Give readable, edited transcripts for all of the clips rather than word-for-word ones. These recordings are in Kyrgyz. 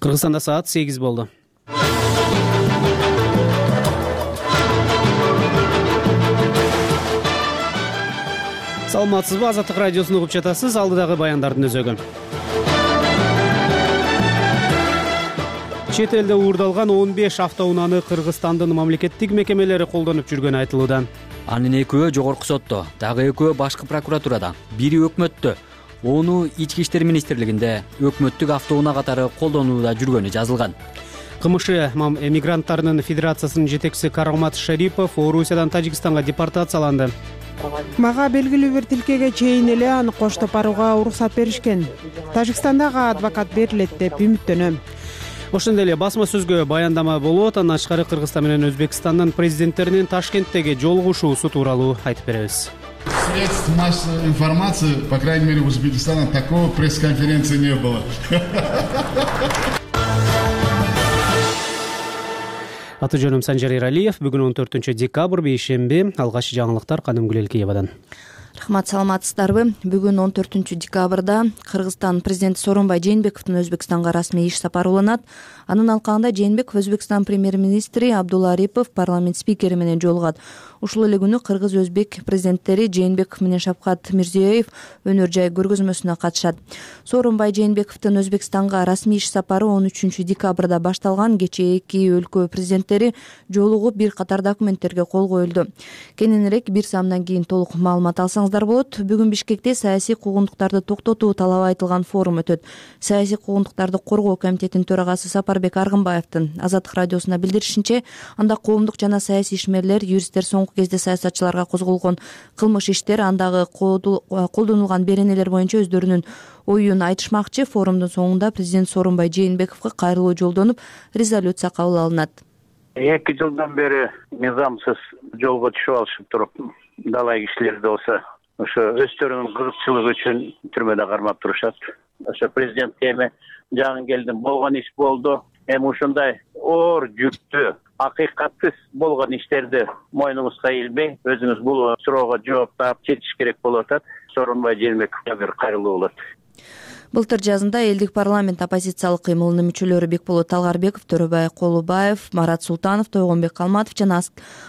Кыргызстанда саат 8 болду. Саламатсызбы, Азаттык радиосун угуп жатасыз. Алдыдагы баяндардын өзөгү. Чет элде уурдалган 15 автоунааны Кыргызстандын мамлекеттик мекемелери колдонуп жүргөнү айтылууда. Анын экөө жогорку сотто, дагы экөө башкы прокуратурада, бири өкмөттө, ону Ички иштер министрлигинде өкмөттүк автоунаа катары колдонууда жүргөнү жазылган. КМШ эмигранттарынын федерациясынын жетекчиси Карамат Шарипов Орусиядан Тажикстанга депортацияланды. Мага белгилүү бир тилкеге чейин эле аны коштоп барууга уруксат беришкен. Тажикстандагы адвокат берилет деп үмүттөнөм. Ошондой эле басма сөзгө баяндама болот. Андан тышкары Кыргызстан менен Өзбекстандын президенттеринин Ташкенттеги жолугушуусу тууралуу айтып беребиз. Средств массовой информации, по крайней мере, в Узбекистане такого пресс-конференции не было. Аты жөнүм Санжар Иралиев. Бүгүн 14 декабрь бейшемби. Алгачкы жаңылыктар Каным Гүлелкиевадан. Рахмат, саламатсыздарбы? Бүгүн 14 декабрда Кыргызстан президенти Сооронбай Жээнбековдун Өзбекстанга расмий иш сапары уланат. Анын алкагында Жээнбеков Өзбекстан премьер-министри Абдулла Арипов парламент спикери менен жолугат. Ушул эле күнү кыргыз-өзбек президенттери Жээнбеков менен Шавкат Мирзиёев өнөр жай көргөзмөсүнө катышат. Сооронбай Жээнбековдун Өзбекстанга расмий иш сапары 13 декабрда башталган. Кечээ эки өлкө президенттери жолугуп бир катар документтерге кол коюлду. Кененирээк бир саамдан кийин толук маалымат алсаңыздар болот. Бүгүн Бишкекте саясий куугунтуктарды токтотуу талабы айтылган форум өтөт. Саясий куугунтуктарды коргоо комитетинин төрагасы Сапарбек Аргынбаевдин Азаттык радиосуна билдиришинче, анда коомдук жана саясий ишмерлер, юристтер соңку кезде саясатчыларга козголгон кылмыш иштер, андагы колдонулган беренелер боюнча өздөрүнүн оюн айтышмакчы. Форумдун соңунда президент Сооронбай Жээнбековго кайрылуу жолдонуп, резолюция кабыл алынат. 2 жылдан бери мыйзамсыз жолго түшүп алышып туруп, далай кишилер болсо ошо өздөрүнүн кызыкчылыгы үчүн түрмөдө кармап турушат. Ошо президентке эми жагын келдим, болгон иш болду. Эми ушундай оор жүктү, акыйкатсыз болгон иштерди мойнуңузга илбей, өзүңүз бул суроого жооп таап чечиш керек болуп атат. Сооронбай Жээнбековго бир кайрылуу болот. Былтыр жазында элдик парламент оппозициялык кыймылынын мүчөлөрү Бекболот Талгарбеков, Төрөбай Колубаев, Марат Султанов, Тойгонбек Калматов жана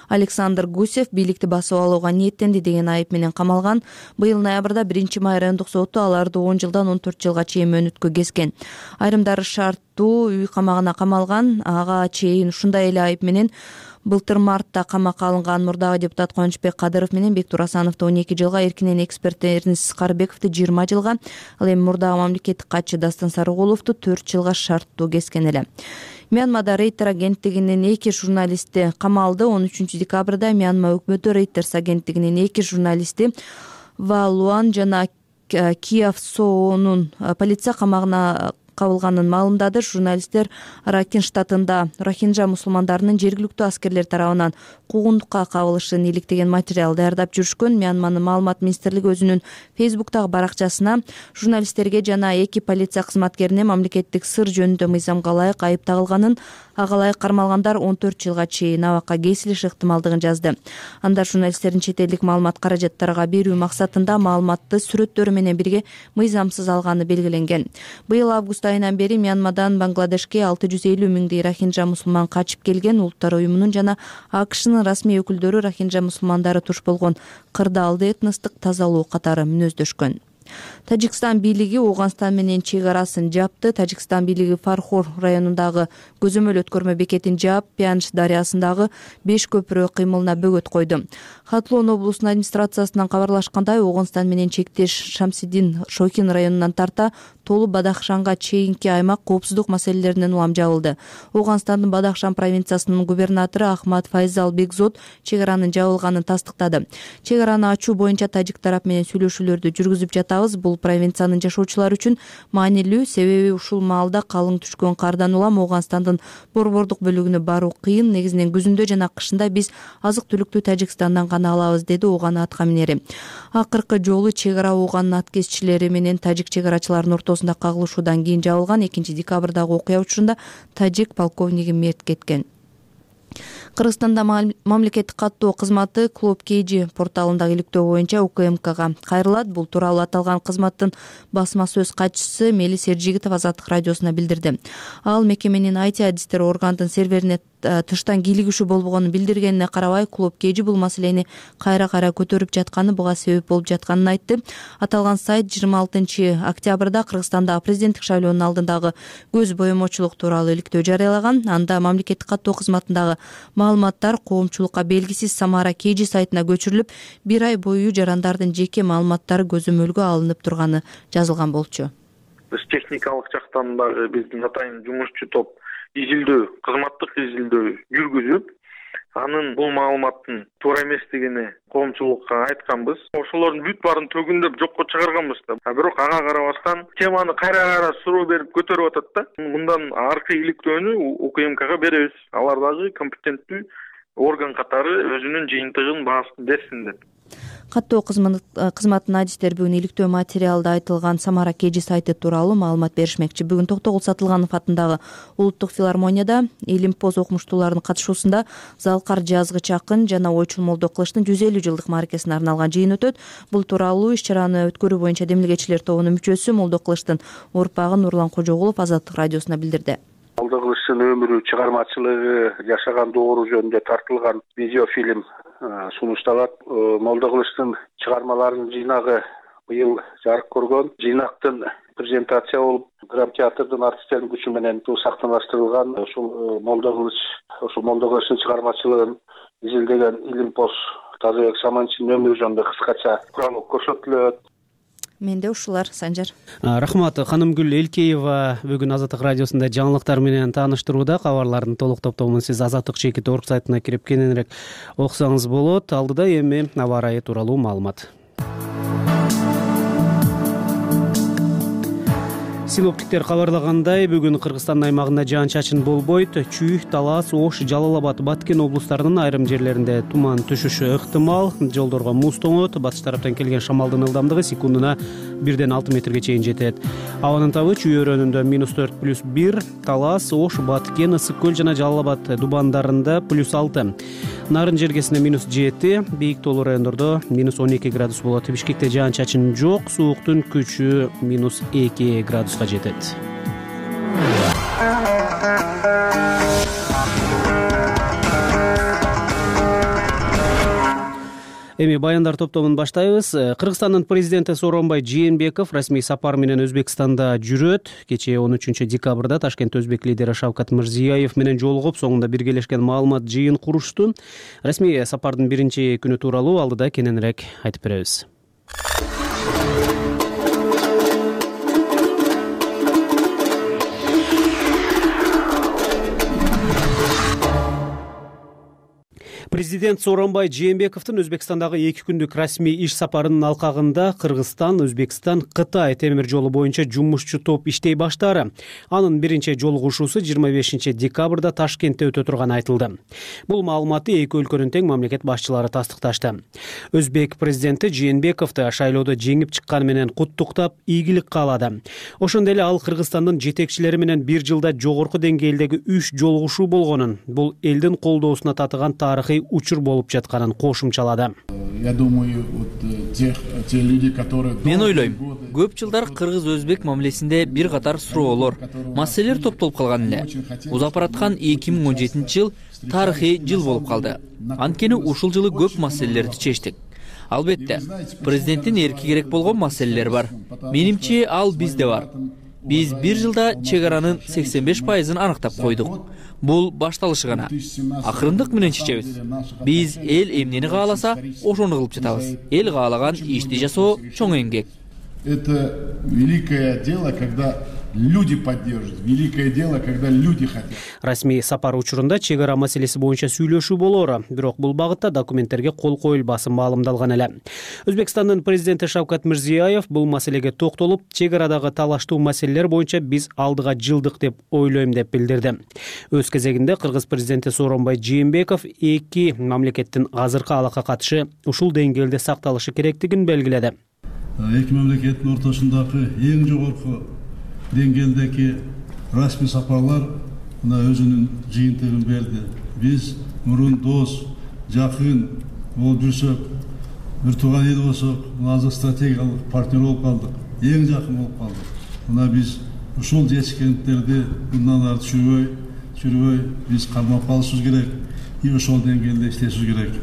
Александр Гусев бийликти басып алууга ниеттенди деген айып менен камалган. Быйыл ноябрда 1 райондук соту аларды 10 жылдан 14 жылга чейин мөөнөткө кескен. Айрымдары шарттуу үй камагына камалган. Ага чейин ушундай эле айып менен былтыр мартта камакка алынган мурдагы депутат Кубанычбек Кадыров менен Бектур Асановду 12 жылга, эркинен эксперт Эрнис Карбековду 20 жылга, ал эми мурдагы мамлекеттик катчы Дастан Сарыгуловду 4 жылга шарттуу кескен эле. Мьянмада Рейтер агенттигинин 2 журналисти камалды. 13 декабрда Мьянма өкмөтү Рейтерс агенттигинин 2 журналисти Ва Луан жана Кияв Соонун полиция камагына кабылганын маалымдады. Журналисттер Ракин штатында рохинджа мусулмандарынын жергиликтүү аскерлер тарабынан куугунтукка кабылышын иликтеген материал даярдап жүрүшкөн. Мьянманын маалымат министрлиги өзүнүн Фейсбуктагы баракчасына журналисттерге жана 2 полиция кызматкерине мамлекеттик сыр жөнүндө мыйзамга ылайык айып тагылганын, ага ылайык кармалгандар 14 жылга чейин абакка кесилиши ыктымалдыгын жазды. Анда журналисттердин чет элдик маалымат каражаттарга берүү максатында маалыматты сүрөттөрү менен бирге мыйзамсыз алганы белгиленген. Быйыл август айынан бери Мьянмадан Бангладешке 650 миңдей рохинджа мусулман качып келген. Улуттар уюмунун жана АКШнын расмий өкүлдөрү рохинджа мусулмандары туш болгон кырдаалды этностук тазалоо катары мүнөздөшкөн. Тажикстан бийлиги Ооганстан менен чек арасын жапты. Тажикстан бийлиги Фархор районундагы көзөмөл өткөрмө бекетин жаап, Пянш дарыясындагы 5 көпүрө кыймылына бөгөт койду. Хатлоон облусунун администрациясынан кабарлашкандай, Ооганстан менен чектеш Шамсидин Шохин районунан тарта Толу Бадахшанга чейинки аймак коопсуздук маселелеринен улам жабылды. Ооганстандын Бадахшан провинциясынын губернатору Ахмад Файзал Бекзод чек аранын жабылганын тастыктады. Чек араны ачуу боюнча тажик тарап менен сүйлөшүүлөрдү жүргүзүп жатабыз. Бул провинциянын жашоочулары үчүн маанилүү, себеби ушул маалда калың түшкөн кардан улам Ооганстандын борбордук бөлүгүнө баруу кыйын. Негизинен күзүндө жана кышында биз азык-түлүктү Тажикстандан гана алабыз, деди Ооган атка минери. Акыркы жолу чек ара Ооганын ат кесчилери менен тажик чек арачыларынын ортосунда кагылышуудан кийин жабылган. 2 декабрдагы окуя учурунда тажик полковниги мерт кеткен. Кыргызстанда мамлекеттик каттоо кызматы Клуб KG порталындагы иликтөө боюнча УКМКга кайрылат. Бул тууралуу аталган кызматтын басма сөз катчысы Мелис Эржигитов Азаттык радиосуна билдирди. Ал мекеменин IT адистери органдын серверине тыштан кийлигишүү болбогонун билдиргенине карабай, Клуб KG бул маселени кайра көтөрүп жатканы буга себеп болуп жатканын айтты. Аталган сайт 26 октябрда Кыргызстанда президенттик шайлоонун алдындагы көз боемочулук тууралуу иликтөө жарыялаган. Анда мамлекеттик каттоо кызматындагы маалыматтар коомчулукка белгисиз Самара KG сайтына көчүрүлүп, 1 ай бою жарандардын жеке маалыматтары көзөмөлгө алынып турганы жазылган болчу. Биз техникалык жактан дагы биздин атайын жумушчу топ кызматтык изилдөө жүргүзүп, анын бул маалыматтын туура эместигини коомчулукка айтканбыз. Ошолордун бүт баарын төгүндөп жокко чыгарганбыз да. Бирок ага карабастан теманы кайра суроо берип көтөрүп атат да. Мындан аркы иликтөөнү УКМКга беребиз. Алар дагы компетенттүү орган катары өзүнүн жыйынтыгын баасын берсин деп. Каттоо кызматынын адистери бүгүн иликтөө материалда айтылган Самара KG сайты тууралуу маалымат беришмекчи. Бүгүн Токтогул Сатылганов атындагы Улуттук филармонияда Илимпоз окумуштууларынын катышуусунда Залкар жазгыч акын жана ойчул Молдо Кылычтын 150 жылдык мааракесине арналган жыйын өтөт. Бул тууралуу иш-чараны өткөрүү боюнча демилгечилер тобунун мүчөсү Молдо Кылычтын урпагы Нурлан Кожогулов Азаттык радиосуна билдирди. Молдо Кылычтын өмүрү, чыгармачылыгы, жашаган доору жөнүндө тартылган видеофильм сунушталат. Молдо Кылычтын чыгармаларынын жыйнагы быйыл жарык көргөн. Жыйнактын презентация болуп, драмтеатрдын артисттеринин күчү менен сактаныштырылган. Ушул Молдо Кылычтын чыгармачылыгын изилдеген Илимпоз Тазабек Саманчинин өмүрү жөнүндө кыскача куралып көрсөтүлөт. Менде ушулар, Санжар. Рахмат. Ханымгүл Элкеева бүгүн Азаттык радиосунда жаңылыктар менен тааныштырууда. Кабарлардын толук топтомун сиз azattik.org сайтына кирип кененирээк окусаңыз болот. Алдыда эми аба ырайы тууралуу маалымат. Синоптиктер кабарлагандай, бүгүн Кыргызстандын аймагында жаан-чачын болбойт. Чүй, Талас, Ош, Жалал Абад, Баткен облустарынын айрым жерлеринде туман түшүшү ыктымал. Жолдорго муз тоңот. Батыш тараптан келген шамалдын ылдамдыгы секундуна 1-6 метрге чейин жетет. Абанын табы Чүй өрөөнүндө -4+1, Талас, Ош, Баткен, Ысык көл жана Жалал Абад дубандарында +6. Нарын жергесинде -7, бийик тоолуу райондордо -12 градус болот. Бишкекте жаан-чачын жок, сууктун күчү -2 градуска жетет. Эми баяндар топтомун баштайбыз. Кыргызстандын президенти Сооронбай Жээнбеков расмий сапар менен Өзбекстанда жүрөт. Кечээ 13 декабрда Ташкентте өзбек лидери Шавкат Мирзиёев менен жолугуп, соңунда биргелешкен маалымат жыйын курушту. Расмий сапардын биринчи күнү тууралуу алдыда кененирээк айтып беребиз. Президент Сооронбай Жээнбековдун Өзбекстандагы 2 күндүк расмий иш сапарынын алкагында Кыргызстан, Өзбекстан, Кытай темир жолу боюнча жумушчу топ иштей баштаары. Анын биринчи жолугушуусу 25 декабрда Ташкентте өтө турганы айтылды. Бул маалыматты эки өлкөнүн тең мамлекет башчылары тастыкташты. Өзбек президенти Жээнбековду шайлоодо жеңип чыкканы менен куттуктап, ийгилик каалады. Ошондой эле ал Кыргызстандын жетекчилери менен бир жылда жогорку деңгээлдеги 3 жолугушуу болгонун, бул элдин колдоосуна татыган тарыхый учур болуп жатканын кошумчалады. Мен ойлойм, көп жылдар кыргыз-өзбек мамилесинде бир катар суроолор, маселелер топтолуп калган эле. Узап бараткан 2017 жыл тарыхый жыл болуп калды. Анткени ушул жылы көп маселелерди чечтик. Албетте, президенттин эрки керек болгон маселелер бар. Менимче ал бизде бар. Биз бир жылда чек аранын 85%-ын анықтап койдук. Бул башталышы гана. Акырындык менен чечебиз. Биз эл эмнени кааласа, ошону кылып жатабыз. Эл каалаган ишти жасоо чоң эмгек. Это великое дело, когда люди поддерживают. Великое дело, когда люди хотят. Расмий сапар учурунда чек ара маселеси боюнча сүйлөшүү болоору, бирок бул багытта документтерге кол коюлбасы маалымдалган эле. Өзбекстандын президенти Шавкат Мирзиёев бул маселеге токтолуп, чек арадагы талаштуу маселелер боюнча биз алдыга жылдык деп ойлойм деп билдирди. Өз кезегинде кыргыз президенти Сооронбай Жээнбеков эки мамлекеттин азыркы алака катышы ушул деңгээлде сакталышы керектигин белгиледи. Эки мамлекеттин ортосундагы эң жогорку деңгээлдеги расмий сапарлар өзүнүн жыйынтыгын берди. Биз мурун дос, жакын болуп жүрсөк, бир тууган эл болсок, азыр стратегиялык партнер болуп калдык, эң жакын болуп калдык. Мына биз ушул жетишкендиктерди мындан ары чүрбөй биз кармап калышыбыз керек, и ошол деңгээлде иштешибиз керек.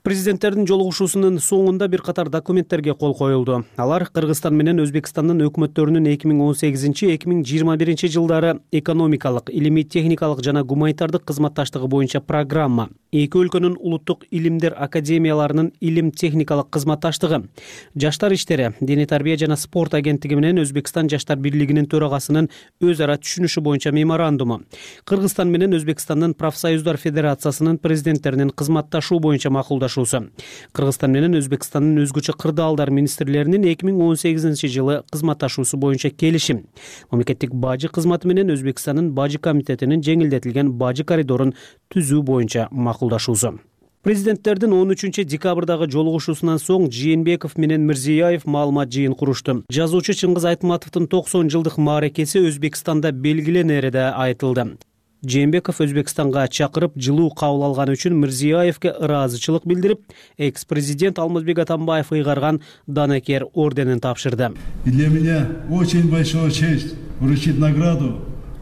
Президенттердин жолугушуусунун соңунда бир катар документтерге кол коюлду. Алар Кыргызстан менен Өзбекстандын өкмөттөрүнүн 2018-2021 жылдары экономикалык, илимий техникалык жана гуманитардык кызматташтыгы боюнча программа, эки өлкөнүн улуттук илимдер академияларынын илим техникалык кызматташтыгы, жаштар иштери, дене тарбия жана спорт агенттиги менен Өзбекстан жаштар бирлигинин төрагасынын өз ара түшүнүшү боюнча меморандуму, Кыргызстан менен Өзбекстандын профсоюздар федерациясынын президенттеринин кызматташуу боюнча макулдашуу, Кыргызстан менен Өзбекстандын өзгөчө кырдаалдар министрлеринин 2018 жылы кызматташуусу боюнча келишим, мамлекеттик бажы кызматы менен Өзбекстандын бажы комитетинин жеңилдетилген бажы коридорун түзүү боюнча макулдашуусу. Президенттердин 13 декабрдагы жолугушуусунан соң Жээнбеков менен Мирзиёев маалымат жыйын курушту. Жазуучу Чыңгыз Айтматовдун 90 жылдык мааракеси Өзбекстанда белгиленери да айтылды. Жээнбеков Өзбекстанга чакырып, жылуу кабыл алганы үчүн Мирзиёевке ыраазычылык билдирип, экс-президент Алмазбек Атамбаев ыйгарган Данакер орденин тапшырды. Для меня очень большая честь вручить награду,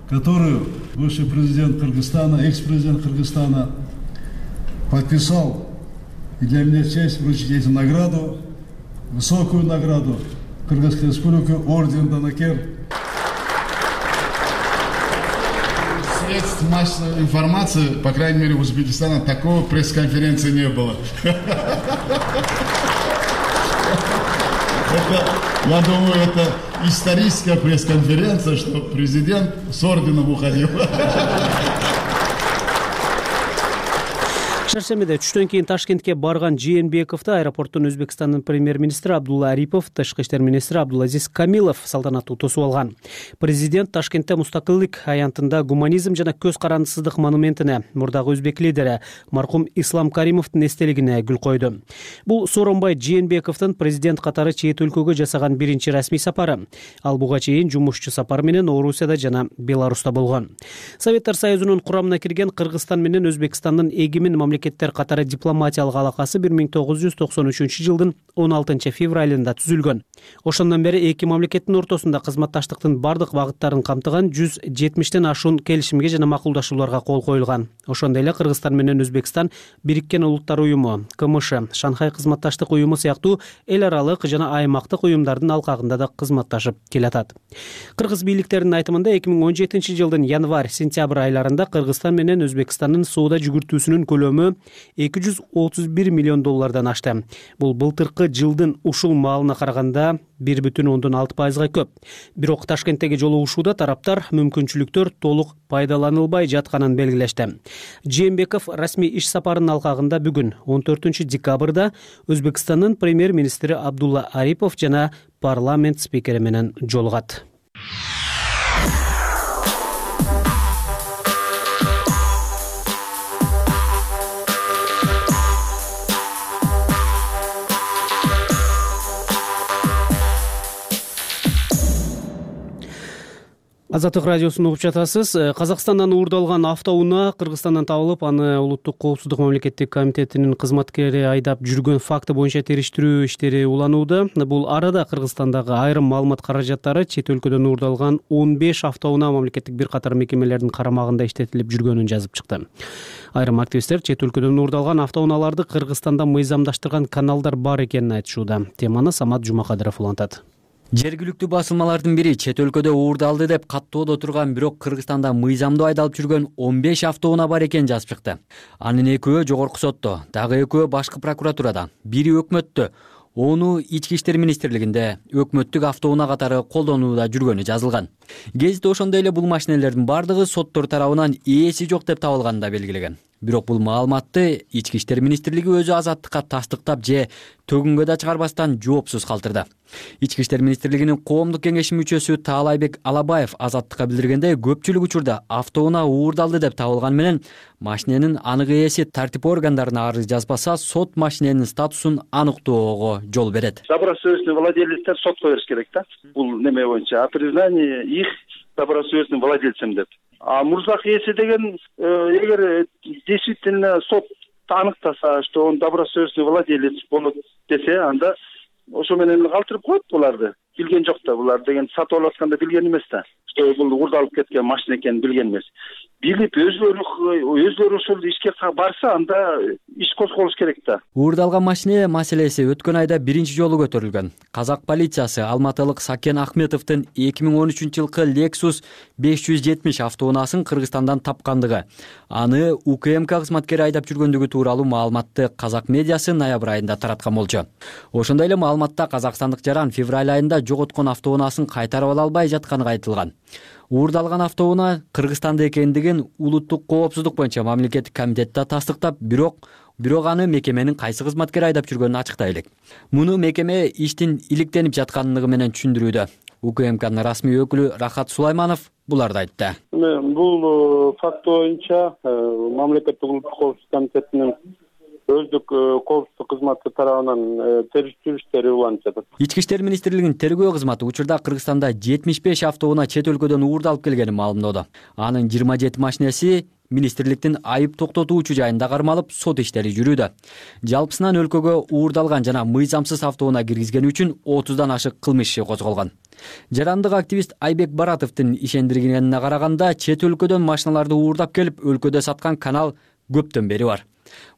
которую бывший президент Кыргызстана, экс-президент Кыргызстана подписал. И для меня честь вручить эту награду, высокую награду Кыргызской республики, орден Данакер. Средств массовой информации, по крайней мере, в Узбекистане такого пресс-конференции не было. Я думаю, это историческая пресс-конференция, что президент с орденом уходил. Шаршемеде түштөн кийин Ташкентке барган Жээнбековду аэропорттун Өзбекстандын премьер-министри Абдулла Арипов, тышкы иштер министри Абдулазиз Камилов салтанаттуу тосуп алган. Президент Ташкентте мустакылдык аянтында гуманизм жана көз карандысыздык монументине, мурдагы өзбек лидери маркум Ислам Каримовдун эстелигине гүл койду. Бул Сооронбай Жээнбековдун президент катары чет өлкөгө жасаган биринчи расмий сапары. Ал буга чейин жумушчу сапар менен Орусияда жана Беларуста болгон. Советтер Союзунун курамына кирген Кыргызстан менен Өзбекстандын эгемен мамлекеттер катары дипломатиялык алакасы 1993 жылдын 16 февралында түзүлгөн. Ошондон бери эки мамлекеттин ортосунда кызматташтыктын бардык багыттарын камтыган 170тен ашуун келишимге жана макулдашууларга кол коюлган. Ошондой эле Кыргызстан менен Өзбекстан Бириккен Улуттар уюму, КМШ, Шанхай кызматташтык уюму сыяктуу эл аралык жана аймактык уюмдардын алкагында да кызматташып келатат. Кыргыз бийликтеринин айтымында 2017 жылдын январь-сентябрь айларында Кыргызстан менен Өзбекстандын соода жүгүртүүсүнүн көлөмү $231 миллион ашты. Бул былтыркы жылдын ушул маалына караганда 1,6%га көп. Бирок Ташкенттеги жолугушууда тараптар мүмкүнчүлүктөр толук пайдаланылбай жатканын белгилешти. Жээнбеков расмий иш сапарынын алкагында бүгүн 14 декабрда Өзбекстандын премьер-министри Абдулла Арипов жана парламент спикери менен жолугат. Азаттык радиосун угуп жатасыз. Казакстандан уурдалган автоунаа Кыргызстандан табылып, аны улуттук коопсуздук мамлекеттик комитетинин кызматкери айдап жүргөн факты боюнча териштирүү иштери уланууда. Бул арада Кыргызстандагы айрым маалымат каражаттары чет өлкөдөн уурдалган 15 автоунаа мамлекеттик бир катар мекемелердин карамагында иштетилип жүргөнүн жазып чыкты. Айрым активисттер чет өлкөдөн уурдалган автоунааларды Кыргызстанда мыйзамдаштырган каналдар бар экенин айтышууда. Теманы Самат Жумакадыров улантат. Жергиликтүү басылмалардын бири чет өлкөдө уурдалды деп каттоодо турган, бирок Кыргызстанда мыйзамдуу айдалып жүргөн 15 автоунаа бар экенин жазып чыкты. Анын экөө жогорку сотто, дагы экөө башкы прокуратурада, бири өкмөттө, ону ички иштер министрлигинде өкмөттүк автоунаа катары колдонууда жүргөнү жазылган. Гезит ошондой эле бул машинелердин бардыгы соттор тарабынан ээси жок деп табылганын да белгилеген. Бирок бул маалыматты ички иштер министрлиги өзү азаттыкка тастыктап же төгүнгө да чыгарбастан жоопсуз калтырды. Ички иштер министрлигинин коомдук кеңеши мүчөсү Таалайбек Алабаев азаттыкка билдиргендей, көпчүлүк учурда автоунаа уурдалды деп табылган менен машиненин анык ээси тартип органдарына арыз жазбаса, сот машиненин статусун аныктоого жол берет. Добросовестный владелецтер сотко бериш керек да. Бул неме боюнча о признании их добросовестным владельцем деп. А мурзак ээси деген эгер действительно сот аныктаса, что он добросовестный владелец болот десе, анда ошо менен калтырып коет буларды. Билген жок да, булар деген сатып алып атканда билген эмес да. Что бул уурдалып кеткен машина экенин билген эмес. Билип өзлөрү ошол ишке барса, анда иш козголуш керек да. Уурдалган машина маселеси өткөн айда биринчи жолу көтөрүлгөн. Казак полициясы алматылык Сакен Ахметовдун 2013-жылкы Lexus 570 автоунаасын Кыргызстандан тапкандыгы, аны УКМК кызматкери айдап жүргөндүгү тууралуу маалыматты казак медиасы ноябрь айында тараткан болчу. Ошондой эле маалыматта казакстандык жаран февраль айында жоготкон автоунаасын кайтарып ала албай жатканы айтылган. Уурдалган автоунаа Кыргызстанда экендигин улуттук коопсуздук боюнча мамлекеттик комитетте тастыктап, бирок аны мекеменин кайсы кызматкери айдап жүргөнүн ачыктай элек. Муну мекеме иштин иликтенип жаткандыгы менен түшүндүрүүдө. УКМКнын расмий өкүлү Рахат Сулайманов буларды айтты. Бул факт боюнча мамлекеттик улуттук коопсуздук комитетинин өздүк коопсуздук кызматы тарабынан териштирүү иштери уланып жатат. Ички иштер министрлигинин тергөө кызматы учурда Кыргызстанда 75 автоунаа чет өлкөдөн уурдалып келгенин маалымдоодо. Анын 27 машинеси министрликтин айып токтотуучу жайында кармалып, сот иштери жүрүүдө. Жалпысынан өлкөгө уурдалган жана мыйзамсыз автоунаа киргизгени үчүн 30дан ашык кылмыш иши козголгон. Жарандык активист Айбек Баратовдун ишендиргенине караганда, чет өлкөдөн машиналарды уурдап келип, өлкөдө саткан канал көптөн бери бар.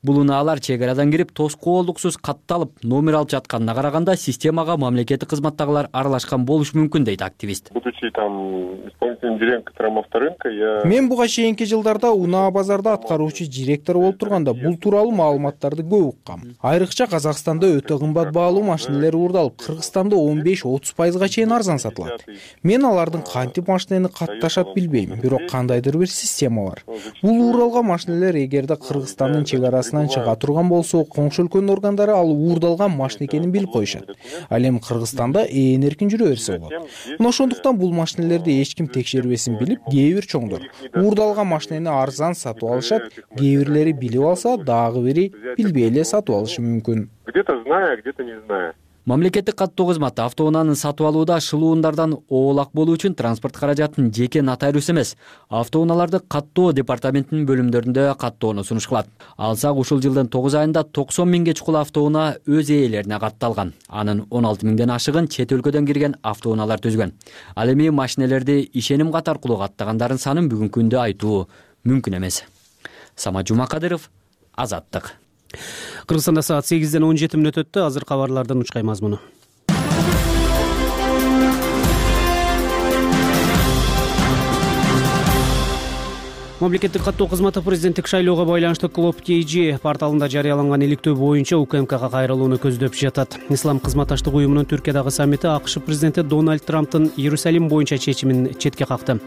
Бул унаалар чек арадан кирип, тоскоолдуксуз катталып, номер алып жатканына караганда, системага мамлекеттик кызматтагылар аралашкан болушу мүмкүн, дейт активист. Будучи исполнительным директором авторынка, мен буга чейинки жылдарда унаа базарда аткаруучу директор болуп турганда бул тууралуу маалыматтарды көп уккам. Айрыкча Казакстанда өтө кымбат баалуу машинелер уурдалып, Кыргызстанда 15-30% чейин арзан сатылат. Мен алардын кантип машинени катташат билбейм, бирок кандайдыр бир система бар. Бул уурдалган машинелер эгерде Кыргызстандын чек арасынан чыга турган болсо, коңшу өлкөнүн органдары ал уурдалган машина экенин билип коюшат. Ал эми Кыргызстанда эркин жүрө берсе болот. Мына ошондуктан бул машинелерди эч ким текшербесин билип, кээ бир чоңдор уурдалган машинени арзан сатып алышат, кээ бирлери билип алса, дагы бири билбей эле сатып алышы мүмкүн. Где-то зная, где-то не зная. Мамлекеттик каттоо кызматы автоунааны сатып алууда шылуундардан оолак болуу үчүн транспорт каражатын жеке нотариус эмес, автоунааларды каттоо департаментинин бөлүмдөрүндө каттоону сунуш кылат. Алсак ушул жылдын 9 айында 90 миңге чукул автоунаа өз ээлерине катталган. Анын 16 миңден ашыгын чет өлкөдөн кирген автоунаалар түзгөн. Ал эми машинелерди ишеним кат аркылуу каттагандардын санын бүгүнкү күндө айтуу мүмкүн эмес. Самат Жумакадыров, Азаттык. Кыргызстанда саат 8-ден 17 мүнөт өттү. Азыр кабарлардын учкай мазмуну. Мамлекеттик каттоо кызматы президенттик шайлоого байланыштуу Клоп KG порталында жарыяланган иликтөө боюнча УКМКга кайрылууну көздөп жатат. Ислам кызматташтык уюмунун Түркиядагы саммити АКШ президенти Дональд Трамптын Иерусалим боюнча чечимин четке какты.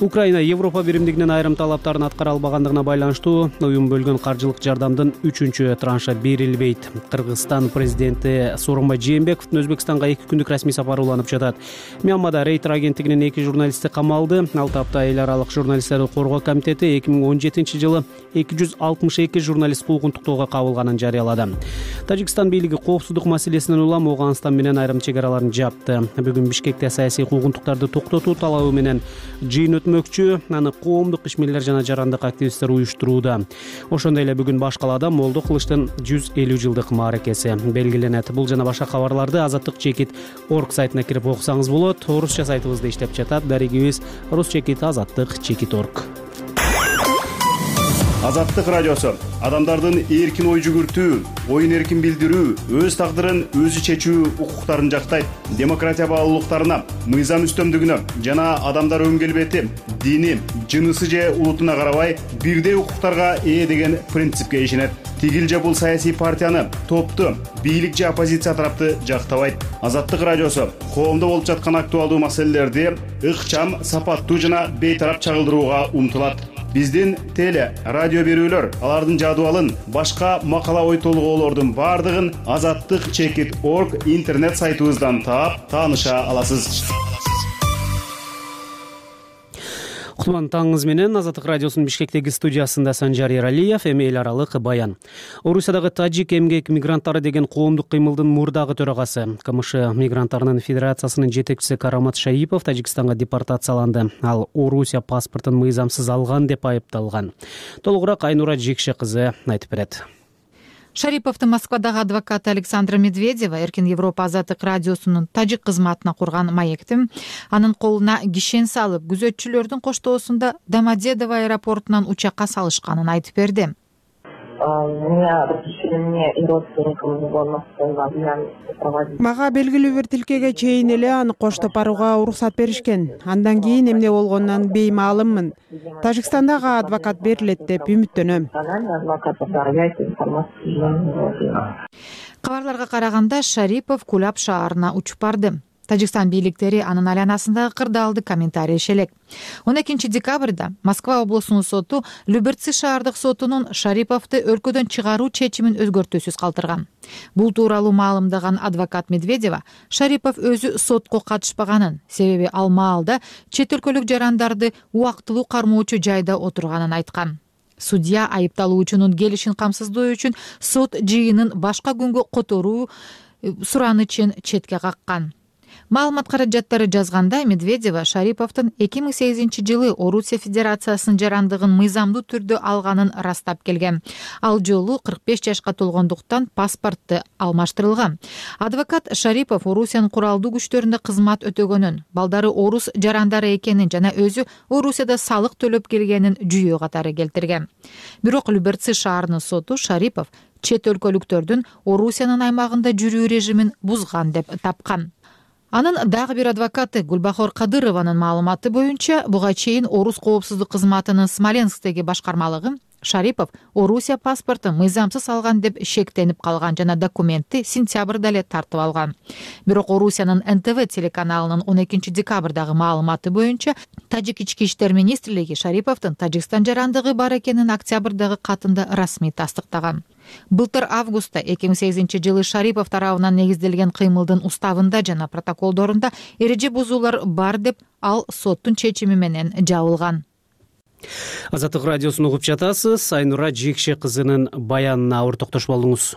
Украина Европа биримдигинин айрым талаптарын аткара албагандыгына байланыштуу уюм бөлгөн каржылык жардамдын 3-чү траншы берилбейт. Кыргызстан президенти Сооронбай Жээнбековдун Өзбекстанга 2 күндүк расмий сапары уланып жатат. Мьянмада Рейтер агенттигинин 2 журналисти камалды. 6 апта эл аралык журналисттерди коргоо комитети 2017 жылы 262 журналист куугун токтоого кабылганын жарыялады. Тажикстан бийлиги коопсуздук маселесинен улам Ооганстан менен айрым чек араларын жапты. Бүгүн Бишкекте саясий куугунтуктарды токтотуу талабы менен жыйын өтмөкчү. Аны коомдук ишмерлер жана жарандык активисттер уюштурууда. Ошондой эле бүгүн баш калаада Молдо Кылычтын 150 жылдык мааракеси белгиленет. Бул жана башка кабарларды azattik.org сайтына кирип окусаңыз болот. Орусча сайтыбызда иштеп жатат. Дарегибиз rus.azattik.org. Азаттык радиосу адамдардын эркин ой жүгүртүү, оюн эркин билдирүү, өз тагдырын өзү чечүү укуктарын жактайт. Демократия баалуулуктарына, мыйзам үстөмдүгүнө жана адамдар өң келбети, дини, жынысы же улутуна карабай бирдей укуктарга ээ деген принципке ишенет. Тигил же бул саясий партияны, топту, бийлик же оппозиция тарапты жактабайт. Азаттык радиосу коомдо болуп жаткан актуалдуу маселелерди ыкчам, сапаттуу жана бейтарап чагылдырууга умтулат. Биздин теле, радио берүүлөр, алардын жадыбалын, башка макала ой толгоолордун бардыгын azattik.org интернет сайтыбыздан таап, тааныша аласыз. Кутман таңыңыз менен. Азаттык радиосунун Бишкектеги студиясында Санжар Эралиев. Эми эл аралык баян. Орусиядагы тажик эмгек мигранттары деген коомдук кыймылдын мурдагы төрагасы, КМШ мигранттарынын федерациясынын жетекчиси Карамат Шаипов Тажикстанга депортацияланды. Ал Орусия паспортун мыйзамсыз алган деп айыпталган. Толугураак Айнура Жекше кызы айтып берет. Шариповду Москвадагы адвокаты Александра Медведева Эркин Европа Азаттык радиосунун тажик кызматына курган маектим анын колуна кишен салып, күзөтчүлөрдүн коштоосунда Домодедово аэропортунан учакка салышканын айтып берди. Мага белгилүү бир тилкеге чейин эле аны коштоп барууга уруксат беришкен. Андан кийин эмне болгонунан беймаалыммын. Тажикстандагы адвокат берилет деп үмүттөнөм. Кабарларга караганда Шарипов Кулап шаарына учуп барды. Тажикстан бийликтери анын айланасындагы кырдаалды комментарий элек. 12 декабрда Москва облусунун соту Люберцы шаардык сотунун Шариповду өлкөдөн чыгаруу чечимин өзгөртүүсүз калтырган. Бул тууралуу маалымдаган адвокат Медведева Шарипов өзү сотко катышпаганын, себеби ал маалда чет өлкөлүк жарандарды убактылуу кармоочу жайда отурганын айткан. Судья айыпталуучунун келишин камсыздоо үчүн сот жыйынын башка күнгө которуу суранычын четке каккан. Маалымат каражаттары жазгандай, Медведева Шариповдун 2008-жылы Орусия Федерациясынын жарандыгын мыйзамдуу түрдө алганын растап келген. Ал жолу 45 жашка толгондуктан паспортту алмаштырылган. Адвокат Шарипов Орусиянын куралдуу күчтөрүндө кызмат өтөгөнүн, балдары орус жарандары экенин жана өзү Орусияда салык төлөп келгенин жүйө катары келтирген. Бирок Люберцы шаарынын соту Шарипов чет өлкөлүктөрдүн Орусиянын аймагында жүрүү режимин бузган деп тапкан. Анын дагы бир адвокаты Гулбахор Кадырованын маалыматы боюнча, буга чейин Орус коопсуздук кызматынын Смоленсктеги башкармалыгы Шарипов Орусия паспортун мыйзамсыз алган деп шектенип калган жана документти сентябрда эле тартып алган. Бирок Орусиянын НТВ телеканалынын 12 декабрдагы маалыматы боюнча, Тажик ички иштер министрлиги Шариповдун Тажикстан жарандыгы бар экенин октябрдагы катында расмий тастыктаган. Былтыр августта 2008-жылы Шарипов тарабынан негизделген кыймылдын уставында жана протоколдорунда эреже бузуулар бар деп ал соттун чечими менен жабылган. Азаттык радиосун угуп жатасыз. Айнура Жекше кызынын баянына ауыр токтош болдуңуз.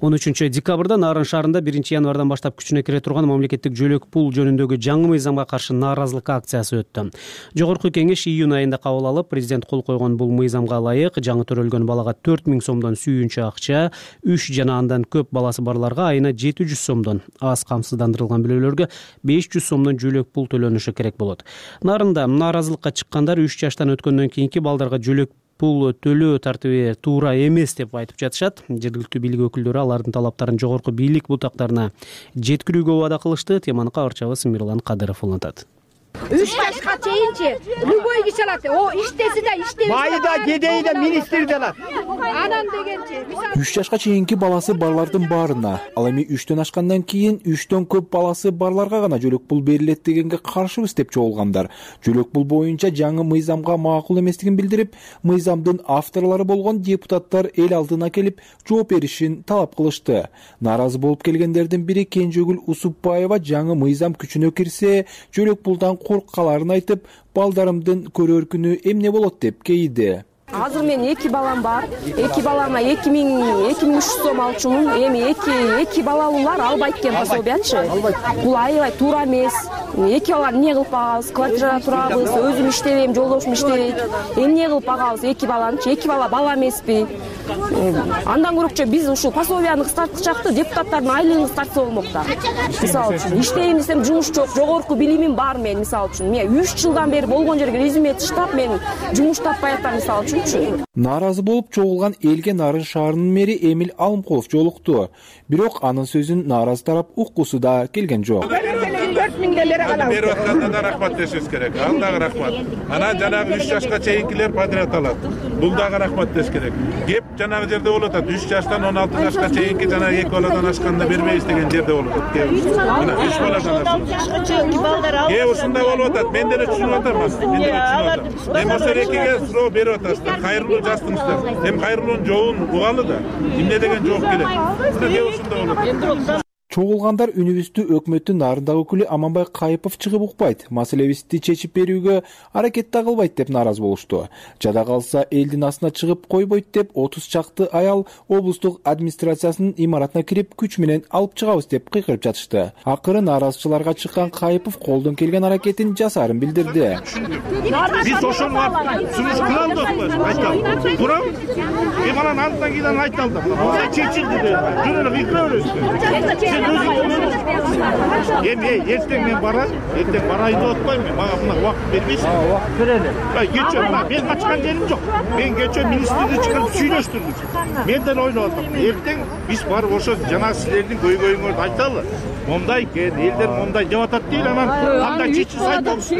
13 декабрда Нарын шаарында 1 январдан баштап күчүнө кире турган мамлекеттик жөлөк пул жөнүндөгү жаңы мыйзамга каршы нааразылык акциясы өттү. Жогорку кеңеш июнь айында кабыл алып, президент кол койгон бул мыйзамга ылайык жаңы төрөлгөн балага 4000 сомдон сүйүнчө акча, 3 жана андан көп баласы барларга айына 700 сомдон, аз камсыздандырылган бирөөлөргө 500 сомдон жөлөк пул төлөнүшү керек болот. Нарында нааразылыкка чыккандар 3 жаштан өткөндөн кийинки балдарга жөлөк пул төлөө тартиби туура эмес деп айтып жатышат. Жергиликтүү бийлик өкүлдөрү алардын талаптарын жогорку бийлик бутактарына жеткирүүгө убада кылышты. Теманы кабарчыбыз Мирлан Кадыров улантат. 3 жашка чейинчи любой киши алат. О иштеси да иштебеси да. Майда кедей да министр да алат. Анан дегенчи 3 жашка чейинки баласы барлардын баарына, ал эми 3төн ашкандан кийин 3төн көп баласы барларга гана жөлөк пул берилет дегенге каршыбыз деп чогулгандар. Жөлөк пул боюнча жаңы мыйзамга макул эместигин билдирип, мыйзамдын авторлору болгон депутаттар эл алдына келип жооп беришин талап кылышты. Нааразы болуп келгендердин бири Кенжегүл Усупбаева жаңы мыйзам күчүнө кирсе, жөлөк пулдан корккаларын айтып, балдарымдын көрөр күнү эмне болот деп кейиди. Азыр мен 2 балам бар. 2 балама 2300 сом алчумун. Эми 2 балалуулар албайт экен пособиячы. Бул аябай туура эмес. 2 баланы эмне кылып багабыз? Квартирада турабыз, өзүм иштебейм, жолдошум иштейт. Эмне кылып багабыз 2 баланычы? 2 бала эмеспи? Андан көрөкчө биз ушул пособияны кыскартчакты, депутаттардын айлыгын кыскартса болмок да. Мисалы үчүн иштейм десем жумуш жок, жогорку билимим бар мен мисалы үчүн. Мен 3 жылдан бери болгон жерге резюме таштап, мен жумуш таппай атам мисалы үчүн. Нааразы болуп чогулган элге Нарын шаарынын мэри Эмил Алымкулов жолукту. Бирок анын сөзүн нааразы тарап уккусу да келген жок. 4000 делер алабыз. Берип атканда да рахмат дешибиз керек. Ал дагы рахмат. Анан жанагы 3 жашка чейинкилер подряд алат. Бул дагы рахмат деш керек. Кеп жанагы жерде болуп атат. 3 жаштан 16 жашка чейинки жанагы 2 баладан ашканда бербейбиз деген жерде болуп атат. Мына 3 баладан ашканда. Ушундай болуп атат. Мен деле түшүнүп атам. Мен ошо экиге суроо берип атасыздар. Кайрылуу жаздыңыздар. Эми кайрылуунун жообун угалы да. Эмне деген жооп келет. Мына ушундай болуп атат. Чогулгандар үнүбүздү өкмөттүн нарындагы өкүлү Аманбай Кайыпов чыгып укпайт, маселебизди чечип берүүгө аракет да кылбайт деп нааразы болушту. Жада калса элдин астына чыгып койбойт деп 30 чакты аял облустук администрациясынын имаратына кирип күч менен алып чыгабыз деп кыйкырып жатышты. Акыры нааразычыларга чыккан Кайыпов колдон келген аракетин жасаарын билдирди. Биз ошону сунуш кыла алдык, айталы. Турам, анан андан кийин айталды. Мындай чечилди деп. Жөн эле кыйкыра бересиз. Эртең мен барам, эртең барайын деп атпайм мен. Мага мына убакыт бербейсиң. Убакыт берели. Кечээ мен качкан жерим жок. Мен кечээ министрди чыгып сүйлөштүрдүм. Мен деле ойлоп атам. Эртең биз барып ошо жана силердин көйгөйүңөрдү айталы. Момдай экен, элдер момдай деп атат дейли, анан кандай чечилсе айтабыз.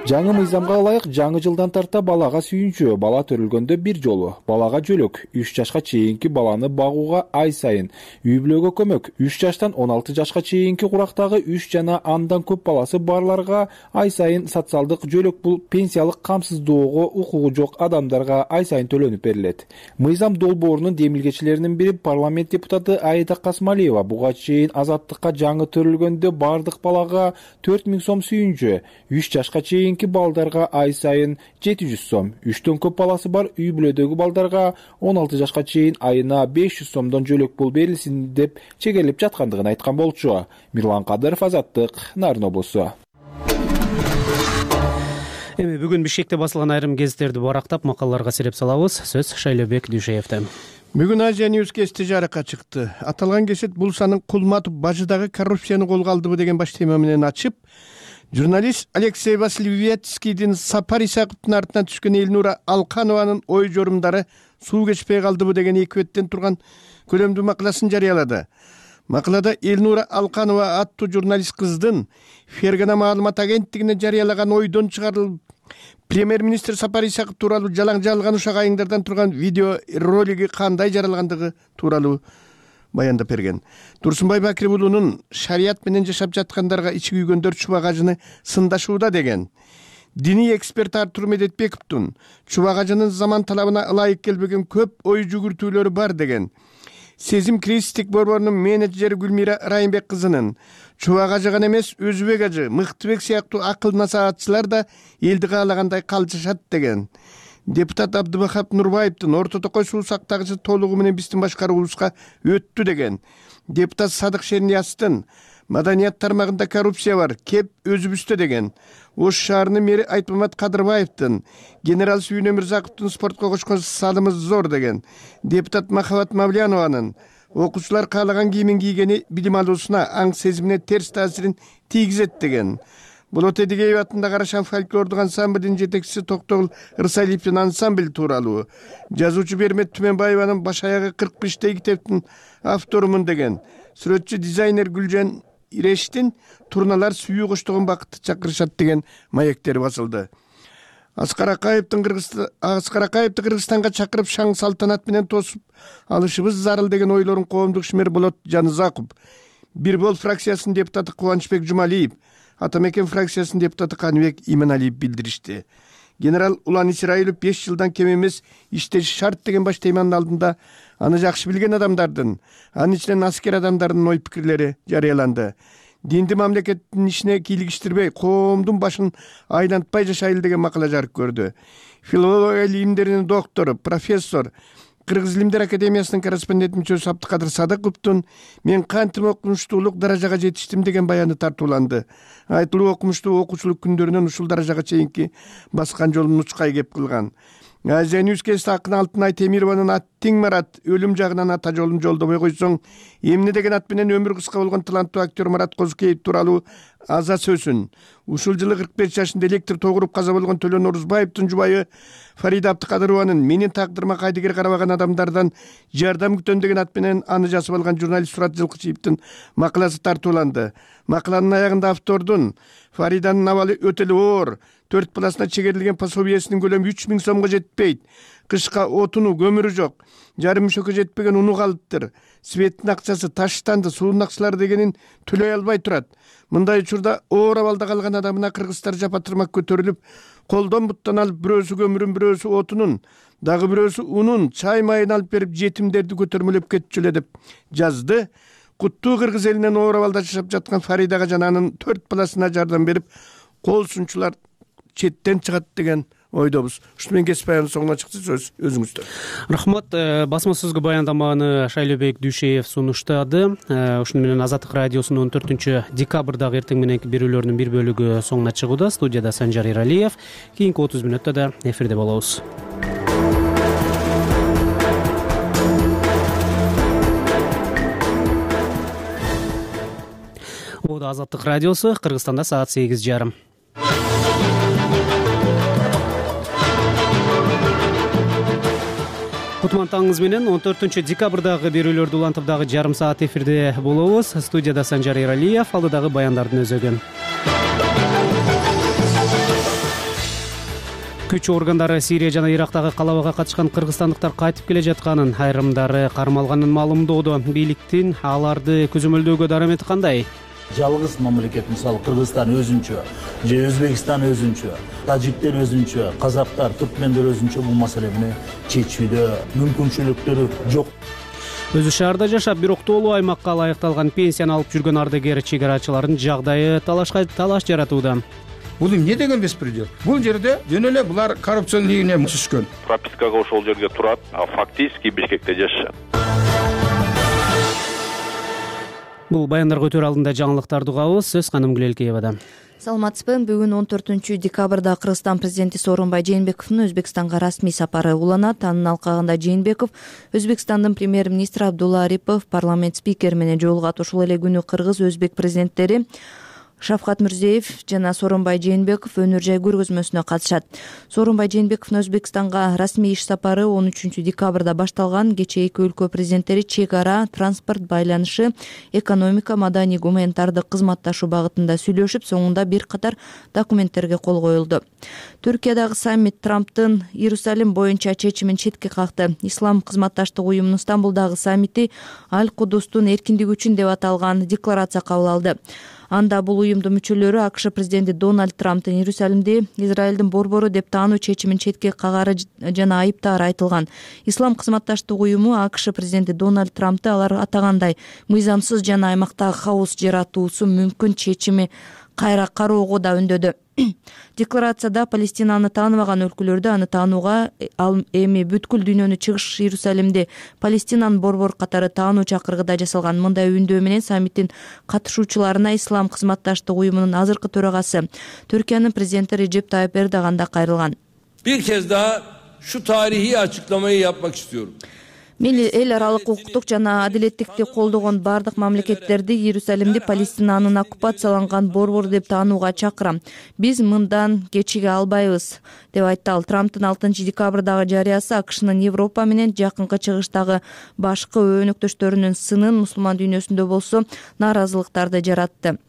Жаңы мыйзамга ылайык жаңы жылдан тарта балага сүйүнчү, бала төрөлгөндө бир жолу, балага жөлөк, 3 жашка чейинки баланы багууга ай сайын, үй бүлөгө көмөк, 3 жаштан 16 жашка чейинки курактагы 3 жана андан көп баласы барларга ай сайын социалдык жөлөк. Бул пенсиялык камсыздоого укугу жок адамдарга ай сайын төлөнүп берилет. Мыйзам долбоорунун демилгечилеринин бири парламент депутаты Аида Касмалиева буга чейин азаттыкка жаңы төрөлгөндө бардык балага 4000 сом сүйүнчү, 3 жашка чейинки балдарга ай сайын 700 сом, 3төн көп баласы бар үй бүлөдөгү балдарга 16 жашка чейин айына 500 сомдон жөлөк пул берилсин деп чегелип жаткандыгын айткан болчу. Мирлан Кадыров, Азаттык, Нарын облусу. Эми бүгүн Бишкекте басылган айрым гезиттерди барактап макалаларга сереп салабыз. Сөз Шайлебек Дүйшеевде. Бүгүн Азия News кести жарыкка чыкты. Аталган гезит Булсанын Кулматов бажыдагы коррупцияны колго алдыбы деген баш тема менен ачып, журналист Алексей Васильевецкийдин Сапар Исаковдун артынан түшкөн Элнура Алканованын ой жорумдары суу кечпей калдыбы деген эки беттен турган көлөмдүү макаласын жарыялады. Макалада Элнура Алканова аттуу журналист кыздын Фергана маалымат агенттигине жарыялаган ойдон чыгарылып, премьер-министр Сапар Исаков тууралуу жалаң жалган ушак айыңдардан турган видео ролиги кандай жаралгандыгы тууралуу баяндап берген. Турсунбай Бакир уулунун шарият менен жашап жаткандарга ичи күйгөндөр чубак ажыны сындашууда деген. Диний эксперт Артур Медетбековдун чубак ажынын заман талабына ылайык келбеген көп ой жүгүртүүлөрү бар деген. Сезим кризистик борборунун менеджери Гүлмира Райымбек кызынын чубак ажы гана эмес, Өзбек ажы, Мыктыбек сыяктуу акыл насаатчылар да элди каалагандай калчышат деген. Депутат Абдыбахап Нурбаевдин Орто Токой суу сактагычы толугу менен биздин башкаруубузга өттү деген. Депутат Садык Шерниястын маданият тармагында коррупция бар, кеп өзүбүздө деген. Ош шаарынын мэри Айтмамат Кадырбаевдин генерал Сүйүн Өмүрзаковдун спортко кошкон салымы зор деген. Депутат Махабат Мавлянованын окуучулар каалаган кийимин кийгени билим алуусуна, аң сезимине терс таасирин тийгизет деген. Болот Эдигеев атындагы Арашан фольклордук ансамблдин жетекчиси Токтогул Ырсалиевдин ансамбль тууралуу, жазуучу Бермет Түменбаеванын баш аягы 45 китептин авторумун деген. Сүрөтчү дизайнер Гүлжан Ирештин турналар сүйүү коштогон бакытты чакырышат деген маектери басылды. Аскар Акаевди Кыргызстанга чакырып шаң салтанат менен тосуп алышыбыз зарыл деген ойлорун коомдук ишмер Болот Жанызаков, Бир бол фракциясынын депутаты Кубанычбек Жумалиев, Атамекен фракциясынын депутаты Каныбек Иманалиев билдиришти. Генерал Улан Исраилов 5 жылдан кем эмес иштеши шарт деген баш теманын алдында аны жакшы билген адамдардын, анын ичинен аскер адамдардын ой пикирлери жарыяланды. Динди мамлекеттин ишине кийлигиштирбей, коомдун башын айлантпай жашайлы деген макала жарык көрдү. Филология илимдеринин доктору, профессор, Кыргыз илимдер академиясынын корреспондент мүчөсү Абдыкадыр Садыковдун мен кантип окумуштуулук даражага жетиштим деген баяны тартууланды. Айтылуу окумуштуу окуучулук күндөрүнөн ушул даражага чейинки баскан жолун учкай кеп кылган. Азия News кести Акын Алтынай Темированын Аттиң Марат өлүм жагынан ата жолун жолдобой койсоң, эмне деген ат менен өмүрү кыска болгон таланттуу актер Марат Козукеев тууралуу аза сөзүн. Ушул жылы 45 жашында электр тогуруп каза болгон Төлөн Орузбаевдин жубайы Фарида Абдыкадырованын менин тагдырыма кайдыгер карабаган адамдардан жардам күтөм деген ат менен аны жазып алган журналист Сурат Жылкычиевдин макаласы тартууланды. Макаланын аягында автордун Фариданын абалы өтө эле оор, 4 баласына чегерилген пособиесинин көлөмү 3000 сомго жетпейт. Кышка отуну, көмүрү жок. Жарым мөшөккө жетпеген уну калыптыр. светтин акчасы таштанды, суунун акчалары дегенин төлөй албай турат. Мындай учурда оор абалда калган адамына кыргыздар жапа-тырмак көтөрүлүп, колдон буттан алып бирөөсү көмүрүн, бирөөсү отунун, дагы бирөөсү унун, чай майын алып берип жетимдерди көтөрмөлөп кетчү эле деп жазды. Куттуу кыргыз элинен оор абалда жашап жаткан Фаридага жана анын 4 баласына жардам берип, кол сунчулар четтен чыгат деген ойдобуз. Ушуну менен кесип баяндын соңуна чыкты, сөз өзүңүздө. Рахмат. Басма сөзгө баяндаманы Шайлообек Дүйшеев сунуштады. Ушуну менен Азаттык радиосунун 14 декабрдагы эртең мененки берүүлөрүнүн бир бөлүгү соңуна чыгууда. Студияда Санжар Иралиев. Кийинки 30 мүнөттө да эфирде болобуз. Азаттык радиосу, Кыргызстанда саат 8:30. Кутман таңыңыз менен 14 декабрдагы берүүлөрдү улантып дагы жарым саат эфирде болобуз. Студияда Санжар Иралиев, алдыдагы баяндардын өзөгүн. Күч органдары Сирия жана Ирактагы калабага катышкан кыргызстандыктар кайтып келе жатканын, айрымдары кармалганын маалымдоодо. Бийликтин аларды көзөмөлдөөгө дарамети кандай? Жалгыз мамлекет, мисалы Кыргызстан өзүнчө, же Өзбекстан өзүнчө, тажиктер өзүнчө, казактар, түркмендер өзүнчө бул маселени чечүүдө мүмкүнчүлүктөрү жок. Өзү шаарда жашап, бирок тоолуу аймакка ылайыкталган пенсияны алып жүргөн ардагер чек-арачылардын жагдайы талаш жаратууда. Бул эмне деген беспредел? Бул жерде жөн эле булар коррупциянын ийине түшкөн. Пропискага ошол жерге турат, а фактически Бишкекте жашашат. Бул баяндарга өтөр алдында жаңылыктарды угабыз. Сөз Ханым Гүлелкеевада. Саламатсызбы? Бүгүн 14 декабрда Кыргызстан президенти Сооронбай Жээнбековдун Өзбекстанга расмий сапары уланат. Анын алкагында Жээнбеков Өзбекстандын премьер-министри Абдулла Арипов, парламент спикери менен жолугат. Ошол эле күнү кыргыз-өзбек президенттери Шавкат Мирзиеев жана Сооронбай Жээнбеков өнөр жай көргөзмөсүнө катышат. Сооронбай Жээнбековдун Өзбекстанга расмий иш сапары 13 декабрда башталган. Кечээ эки өлкө президенттери чек ара, транспорт байланышы, экономика, маданий, гуманитардык кызматташуу багытында сүйлөшүп, соңунда бир катар документтерге кол коюлду. Түркиядагы саммит Трамптын Иерусалим боюнча чечимин четке какты. Ислам кызматташтык уюмунун Стамбулдагы саммити Аль-Кудустун эркиндиги үчүн деп аталган декларация кабыл алды. Анда бул уюмдун мүчөлөрү АКШ президенти Дональд Трамптын Иерусалимди Израилдин борбору деп таануу чечимин четке кагары жана айыптаары айтылган. Ислам кызматташтык уюму АКШ президенти Дональд Трамптты алар атагандай мыйзамсыз жана аймактагы хаос жаратуусу мүмкүн чечими кайра кароого да үндөдү. Декларацияда Палестинаны тааныбаган өлкөлөрдү аны таанууга, ал эми бүткүл дүйнөнү чыгыш Иерусалимди Палестинанын борбор катары таануу чакыргыда жасалган. Мындай үндөө менен саммиттин катышуучуларына Ислам кызматташтык уюмунун азыркы төрагасы Түркиянын президенти Реджеп Тайып Эрдоган да кайрылган. Bir kez daha şu tarihi açıklamayı yapmak istiyorum. Мен эл аралык укуктук жана адилеттикти колдогон бардык мамлекеттерди Иерусалимди Палестинанын оккупацияланган борбор деп таанууга чакырам. Биз мындан кечиге албайбыз, деп айтты ал. Трамптын 6 декабрдагы жарыясы АКШнын Европа менен жакынкы чыгыштагы башкы өнөктөштөрүнүн сынын мусулман дүйнөсүндө болсо нааразылыктарды жаратты.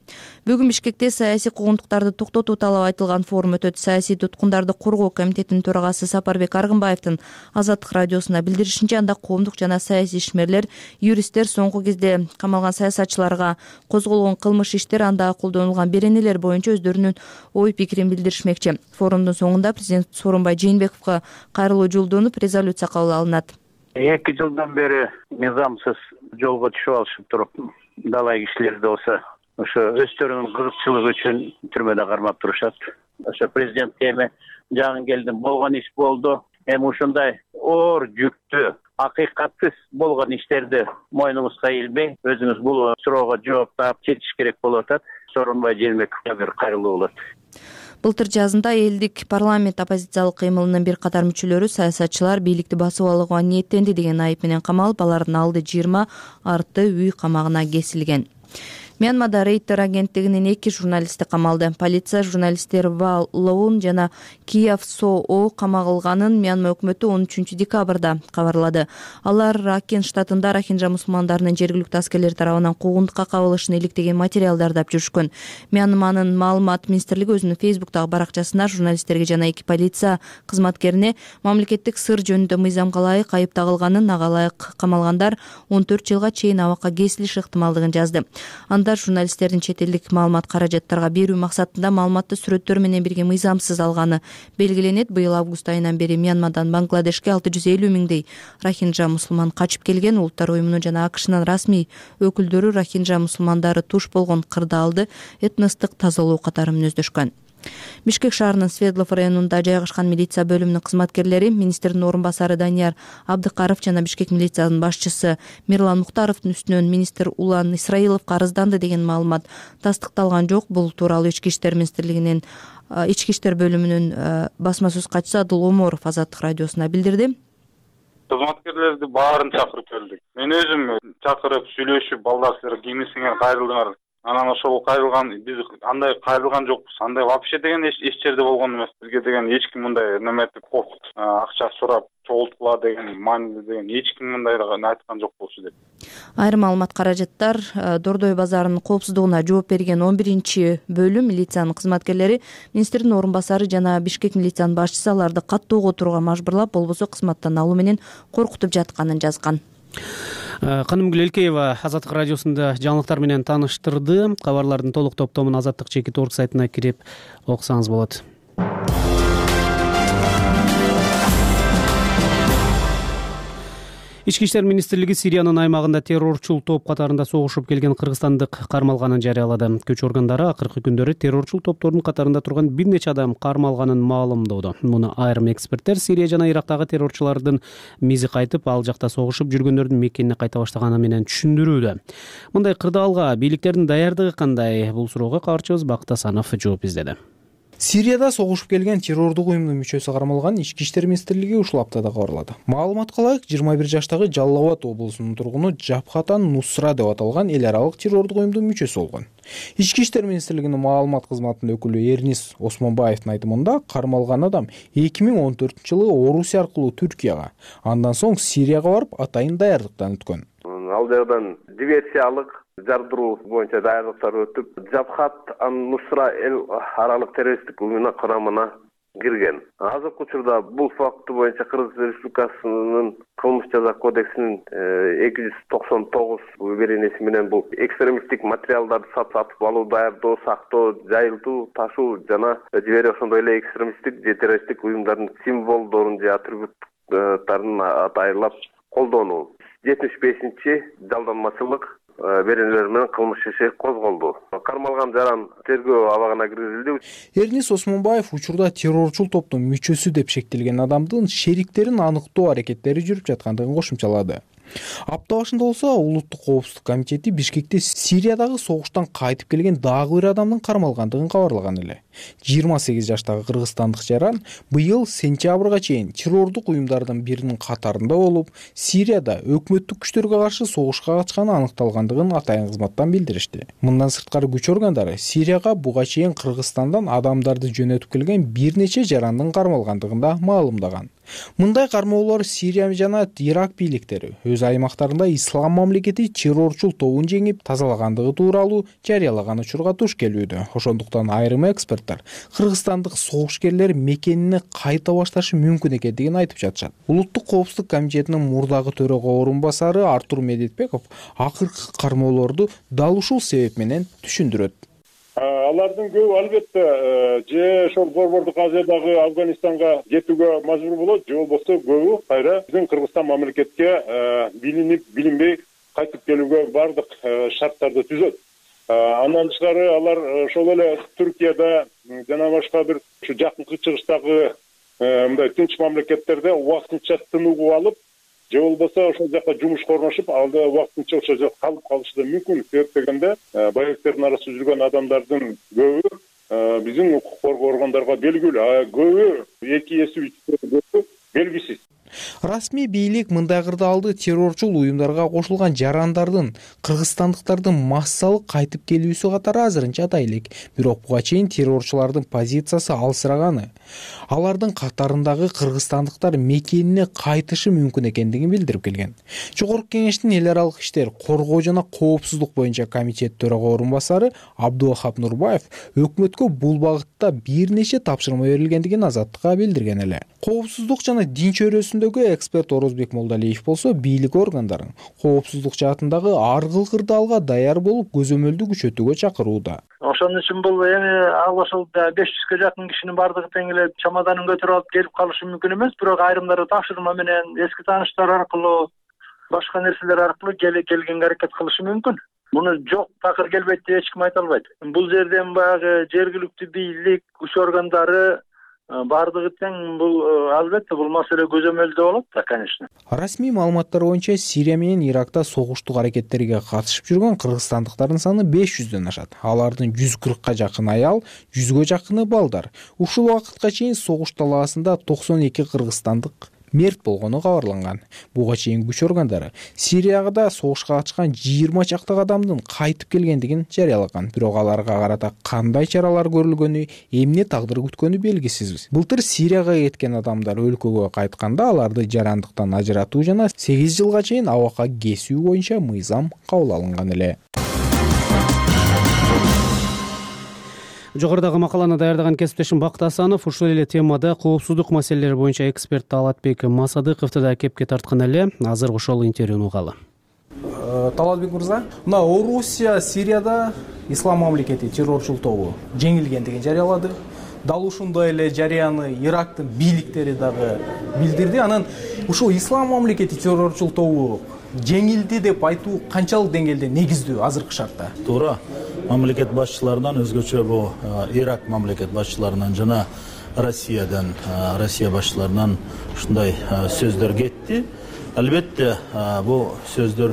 Бүгүн Бишкекте саясий куугунтуктарды токтотуу талабы айтылган форум өтөт. Саясий туткундарды коргоо комитетинин төрагасы Сапарбек Аргынбаевдин Азаттык радиосуна билдиришинче, анда коомдук жана саясий ишмерлер, юристтер, соңку кезде камалган саясатчыларга козголгон кылмыш иштер, анда колдонулган беренелер боюнча өздөрүнүн ой пикирин билдиришмекчи. Форумдун соңунда президент Сооронбай Жээнбековго кайрылуу жолдонуп, резолюция кабыл алынат. 2 жылдан бери мыйзамсыз жолго түшүп алышып туруп, далай кишилерди болсо ошо өздөрүнүн кызыкчылыгы үчүн түрмөдө кармап турушат. Ошо президентке эми жагын келдим, болгон иш болду. Эми ушундай оор жүктү, акыйкатсыз болгон иштерди мойнуңузга илбей, өзүңүз бул суроого жооп таап чечиш керек болуп атат. Сооронбай Жээнбековго бир кайрылуу болот. Былтыр жазында элдик парламент оппозициялык кыймылынын бир катар мүчөлөрү саясатчылар бийликти басып алууга ниеттенди деген айып менен камалып, алардын алды 20, арты үй камагына кесилген. Мьянмада Рейтер агенттигинин 2 журналисти камалды. Полиция журналисттер Ва Лоун жана Кияв Соо камалганын Мьянма өкмөтү 13 декабрда кабарлады. Алар Ракин штатында рохинжа мусулмандарынын жергиликтүү аскерлер тарабынан куугунтукка кабылышын иликтеген материалдарды алып жүрүшкөн. Мьянманын маалымат министрлиги өзүнүн Фейсбуктагы баракчасына журналисттерге жана 2 полиция кызматкерине мамлекеттик сыр жөнүндө мыйзамга ылайык айып тагылганын, ага ылайык камалгандар 14 жылга чейин абакка кесилиш ыктымалдыгын жазды. Анда журналисттердин чет элдик маалымат каражаттарга берүү максатында маалыматты сүрөттөр менен бирге мыйзамсыз алганы белгиленет. Быйыл август айынан бери Мьянмадан Бангладешке 650 миңдей рохинжа мусулман качып келген. Улуттар уюмунун жана АКШнын расмий өкүлдөрү рохинжа мусулмандары туш болгон кырдаалды этностук тазалоо катары мүнөздөшкөн. Бишкек шаарынын Светлов районунда жайгашкан милиция бөлүмүнүн кызматкерлери министрдин орун басары Данияр Абдыкаров жана Бишкек милициянын башчысы Мирлан Мухтаровдун үстүнөн министр Улан Исраиловго арызданды деген маалымат тастыкталган жок. Бул тууралуу Ички иштер министрлигинин Ички иштер бөлүмүнүн басма сөз катчысы Адыл Оморов Азаттык радиосуна билдирди. Кызматкерлерди баарын чакырып келдик. Мен өзүм чакырып сүйлөшүп, балдар силер кийимиңер кайрылдыңар. Анан ошол кайрылган, биз андай кайрылган жокпуз. Андай вообще деген эч жерде болгон эмес. Бизге деген эч ким мындай неметип акча сурап чогулткула деген мааниде деген эч ким мындай айткан жок болчу деп. Айрым маалымат каражаттар Дордой базарынын коопсуздугуна жооп берген 11 бөлүм милициянын кызматкерлери министрдин орун басары жана Бишкек милициянын башчысы аларды каттоого отурууга мажбурлап, болбосо кызматтан алуу менен коркутуп жатканын жазган. Канымгүл Элкеева Азаттык радиосунда жаңылыктар менен тааныштырды. Кабарлардын толук топтомун Азаттык /org сайтына кирип окусаңыз болот. Ички иштер министрлиги Сириянын аймагында террорчул топ катарында согушуп келген кыргызстандык кармалганын жарыялады. Күч органдары акыркы күндөрү террорчул топтордун катарында турган бир нече адам кармалганын маалымдоодо. Муну айрым эксперттер Сирия жана Ирактагы террорчулардын мизи кайтып, ал жакта согушуп жүргөндөрдүн мекенине кайта баштаганы менен түшүндүрүүдө. Мындай кырдаалга бийликтердин даярдыгы кандай? Бул суроого кабарчыбыз Бакыт Асанов жооп издеди. Сирияда согушуп келген террордук уюмдун мүчөсү кармалган Ички иштер министрлиги ушул аптада кабарлады. Маалыматка ылайык 21 жаштагы Жалал Абад облусунун тургуну Жабхатан Нусра деп аталган эл аралык террордук уюмдун мүчөсү болгон. Ички иштер министрлигинин маалымат кызматынын өкүлү Эрнис Осмонбаевдин айтымында кармалган адам 2014-жылы Орусия аркылуу Түркияга, андан соң Сирияга барып атайын даярдыктан өткөн. Ал жагдан диверсиялык жардыруу боюнча даярдыктар өтүп, Жабхат Нусра эл аралык террористтик уюмунун курамына кирген. Азыркы учурда бул факты боюнча Кыргыз Республикасынын кылмыш жаза кодексинин 299 беренеси менен бул экстремисттик материалдарды сатып алуу, даярдоо, сактоо, жайылтуу, ташуу жана жиберүү, ошондой эле экстремисттик же террористтик уюмдардын символдорун же атрибуттарын атайлап колдонуу. 75-чи жалданмачылык беренелер менен кылмыш иши козголду. Кармалган жаран тергөө абагына киргизилди. Эрнис Осмонбаев учурда террорчул топтун мүчөсү деп шектелген адамдын шериктерин аныктоо аракеттери жүрүп жаткандыгын кошумчалады. Апта башында болсо Улуттук коопсуздук комитети Бишкекте Сириядагы согуштан кайтып келген дагы бир адамдын кармалгандыгын кабарлаган эле. 28 жаштагы кыргызстандык жаран быйыл сентябрга чейин террордук уюмдардын биринин катарында болуп, Сирияда өкмөттүк күчтөргө каршы согушка катышканы аныкталгандыгын атайын кызматтан билдиришти. Мындан сырткары күч органдары Сирияга буга чейин Кыргызстандан адамдарды жөнөтүп келген бир нече жарандын кармалгандыгын да маалымдаган. Мындай кармоолор Сирия жана Ирак бийликтери өз аймактарында ислам мамлекети террорчул тобун жеңип тазалагандыгы тууралуу жарыялаган учурга туш келүүдө. Ошондуктан айрым эксперттер кыргызстандык согушкерлер мекенине кайта башташы мүмкүн экендигин айтып жатышат. Улуттук коопсуздук комитетинин мурдагы төрага орун басары Артур Медетбеков акыркы кармоолорду дал ушул себеп менен түшүндүрөт. Алардын көбү албетте же ошол борбордук Азиядагы Афганистанга кетүүгө мажбур болот, же болбосо көбү кайра биздин Кыргызстан мамлекетке билинип, билинбей кайтып келүүгө бардык шарттарды түзөт. Андан тышкары алар ошол эле Түркияда жана башка бир ушу жакынкы чыгыштагы мындай тынч мамлекеттерде убактынча тыныгуу алып, же болбосо ошол жака жумушка орношуп, алда убактынча ошол жакта калып калышы да мүмкүн. Себеп дегенде байктердин арасында жүргөн адамдардын көбү биздин укук коргоо органдарга белгилүү, көбү 2 эсе 3 эсе белгисиз. Расмий бийлик мындай кырдаалды террорчул уюмдарга кошулган жарандардын, кыргызстандыктардын массалык кайтып келүүсү катары азырынча атай элек. Бирок буга чейин террорчулардын позициясы алсыраганы. Алардын катарындагы кыргызстандыктар мекенине кайтышы мүмкүн экендигин билдирип келген. Жогорку кеңештин эл аралык иштер, коргоо жана коопсуздук боюнча комитет төрага орун басары Абдулахап Нурбаев өкмөткө бул багытта бир нече тапшырма берилгендигин Азаттыкка билдирген эле. Коопсуздук жана дин чөйрөсүндөгү эксперт Орозбек Молдалиев болсо бийлик органдарын коопсуздук жаатындагы ар кыл кырдаалга даяр болуп көзөмөлдү күчөтүүгө чакырууда. Ошон үчүн бул эми ал ошол 500ге жакын кишинин бардыгы тең эле чамаданын көтөрүп алып келип калышы мүмкүн эмес, бирок айрымдары тапшырма менен эски тааныштар аркылуу, башка нерселер аркылуу келгенге аракет кылышы мүмкүн. Муну жок такыр келбейт деп эч ким айта албайт. Бул жерден баягы жергиликтүү бийлик, күч органдары бардыгы тең бул албетте бул маселе көзөмөлдө болот да, конечно. Расмий маалыматтар боюнча Сирия менен Иракта согуштук аракеттерге катышып жүргөн кыргызстандыктардын саны 500дөн ашат. Алардын 140ка жакын аял, 100ге жакыны балдар. Ушул убакытка чейин согуш талаасында 92 кыргызстандык мерт болгону кабарланган. Буга чейин күч органдары Сирияга да согушка катышкан 20 чактагы адамдын кайтып келгендигин жарыялаган. Бирок аларга карата кандай чаралар көрүлгөнү, эмне тагдыр күткөнү белгисиз. Былтыр Сирияга кеткен адамдар өлкөгө кайтканда аларды жарандыктан ажыратуу жана 8 жылга чейин абакка кесүү боюнча мыйзам кабыл алынган эле. Жогорудагы макаланы даярдаган кесиптешим Бакыт Асанов ушул эле темада коопсуздук маселелери боюнча эксперт Талатбек Масадыковду да кепке тарткан эле. Азыр ошол интервьюну угалы. Талатбек мырза, мына Орусия Сирияда ислам мамлекети террорчул тобу жеңилгендигин жарыялады. Дал ушундай эле жарыяны Ирактын бийликтери дагы билдирди. Анан ушул ислам мамлекети террорчул тобу жеңилди деп айтуу канчалык деңгээлде негиздүү азыркы шартта? Туура. Мамлекет башчыларынан өзгөчө бул Ирак мамлекет башчыларынан жана Россия башчыларынан ушундай сөздөр кетти. Албетте бул сөздөр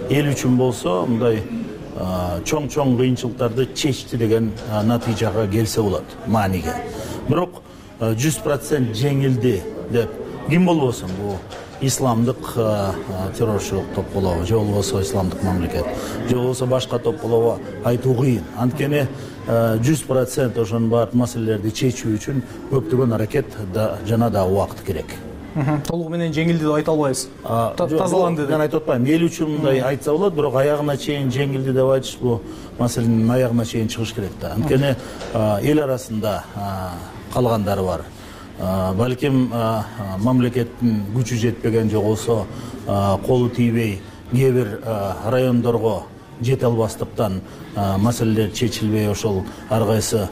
эл үчүн болсо мындай чоң кыйынчылыктарды чечти деген натыйжага келсе болот, мааниге. Бирок 100% жеңилди деп ким болбосун бул исламдык террорчулук топ болобу, же болбосо исламдык мамлекет, же болбосо башка топ болобу айтуу кыйын. Анткени 100% ошонун баардык маселелерди чечүү үчүн көптөгөн аракет жана да убакыт керек. Толугу менен жеңилди деп айта албайбыз. Тазаланды деп. Мен айтып атпайм. Эл үчүн мындай айтса болот, бирок аягына чейин жеңилди деп айтыш бул маселенин аягына чейин чыгыш керек да. Анткени эл арасында калгандары бар. Балким мамлекеттин күчү жетпеген, же болбосо колу тийбей кээ бир райондорго жете албастыктан маселелер чечилбей ошол ар кайсы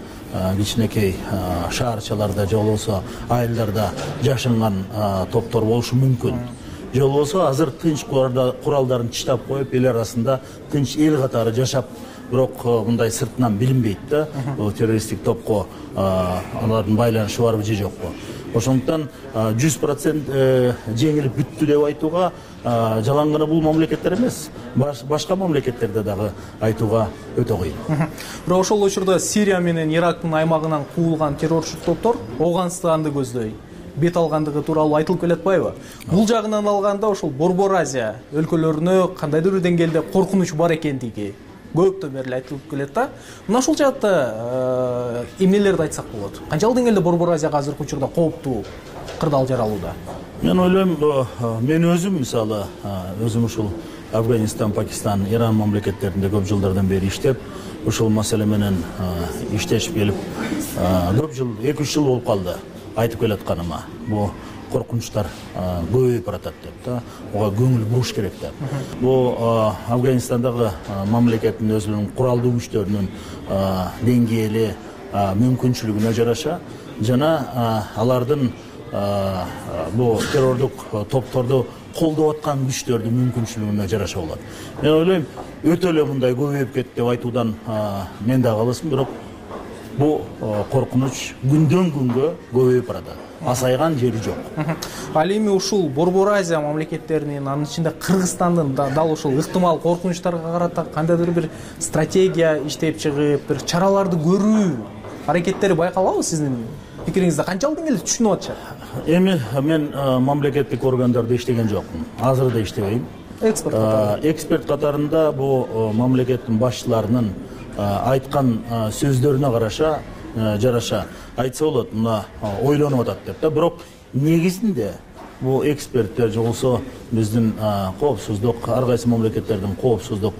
кичинекей шаарчаларда же болбосо айылдарда жашынган топтор болушу мүмкүн. Же болбосо азыр тынч куралдарын чыштап коюп эл арасында тынч эл катары жашап, бирок мындай сыртынан билинбейт да, террористтик топко алардын байланышы барбы же жокпу. Ошондуктан 100% жеңилип бүттү деп айтууга жалаң гана бул мамлекеттер эмес, башка мамлекеттерде дагы айтууга өтө кыйын. Бирок ошол учурда Сирия менен Ирактын аймагынан куулган террорчу топтор Ооганстанды көздөй бет алгандыгы тууралуу айтылып келатпайбы? Бул жагынан алганда ошол Борбор Азия өлкөлөрүнө кандайдыр бир деңгээлде коркунуч бар экендиги көптөн бери айтылып келет да. Мына ушул жаатта эмнелерди айтсак болот? Канчалык деңгээлде Борбор Азияга азыркы учурда кооптуу кырдаал жаралууда? Мен ойлойм, мен өзүм мисалы, өзүм ушул Афганистан, Пакистан, Иран мамлекеттеринде көп жылдардан бери иштеп, ушул маселе менен иштешип келип, көп жыл, 2-3 жыл болуп калды айтып келатканыма. Бул коркунучтар көбөйүп баратат деп да, ага көңүл буруш керек деп. Бул Афганистандагы мамлекеттин өзүнүн куралдуу күчтөрүнүн деңгээли, мүмкүнчүлүгүнө жараша жана алардын бул террордук топторду колдоп аткан күчтөрдүн мүмкүнчүлүгүнө жараша болот. Мен ойлойм, өтө эле мындай көбөйүп кетти деп айтуудан мен да калысым, бирок бул коркунуч күндөн күнгө көбөйүп баратат. Асайган жери жок. Ал эми ушул Борбор Азия мамлекеттеринин, анын ичинде Кыргызстандын дал ушул ыктымал коркунучтарга карата кандайдыр бир стратегия иштеп чыгып, бир чараларды көрүү аракеттери байкалабы сиздин пикириңизди канчалык деңгээлде түшүнүп атышат? Эми мен мамлекеттик органдарда иштеген жокмун, азыр да иштебейм. Эксперт катарында бул мамлекеттин башчыларынын айткан сөздөрүнө жараша айтса болот, мына ойлонуп атат деп да. Бирок негизинде бул эксперттер же болбосо биздин коопсуздук, ар кайсы мамлекеттердин коопсуздук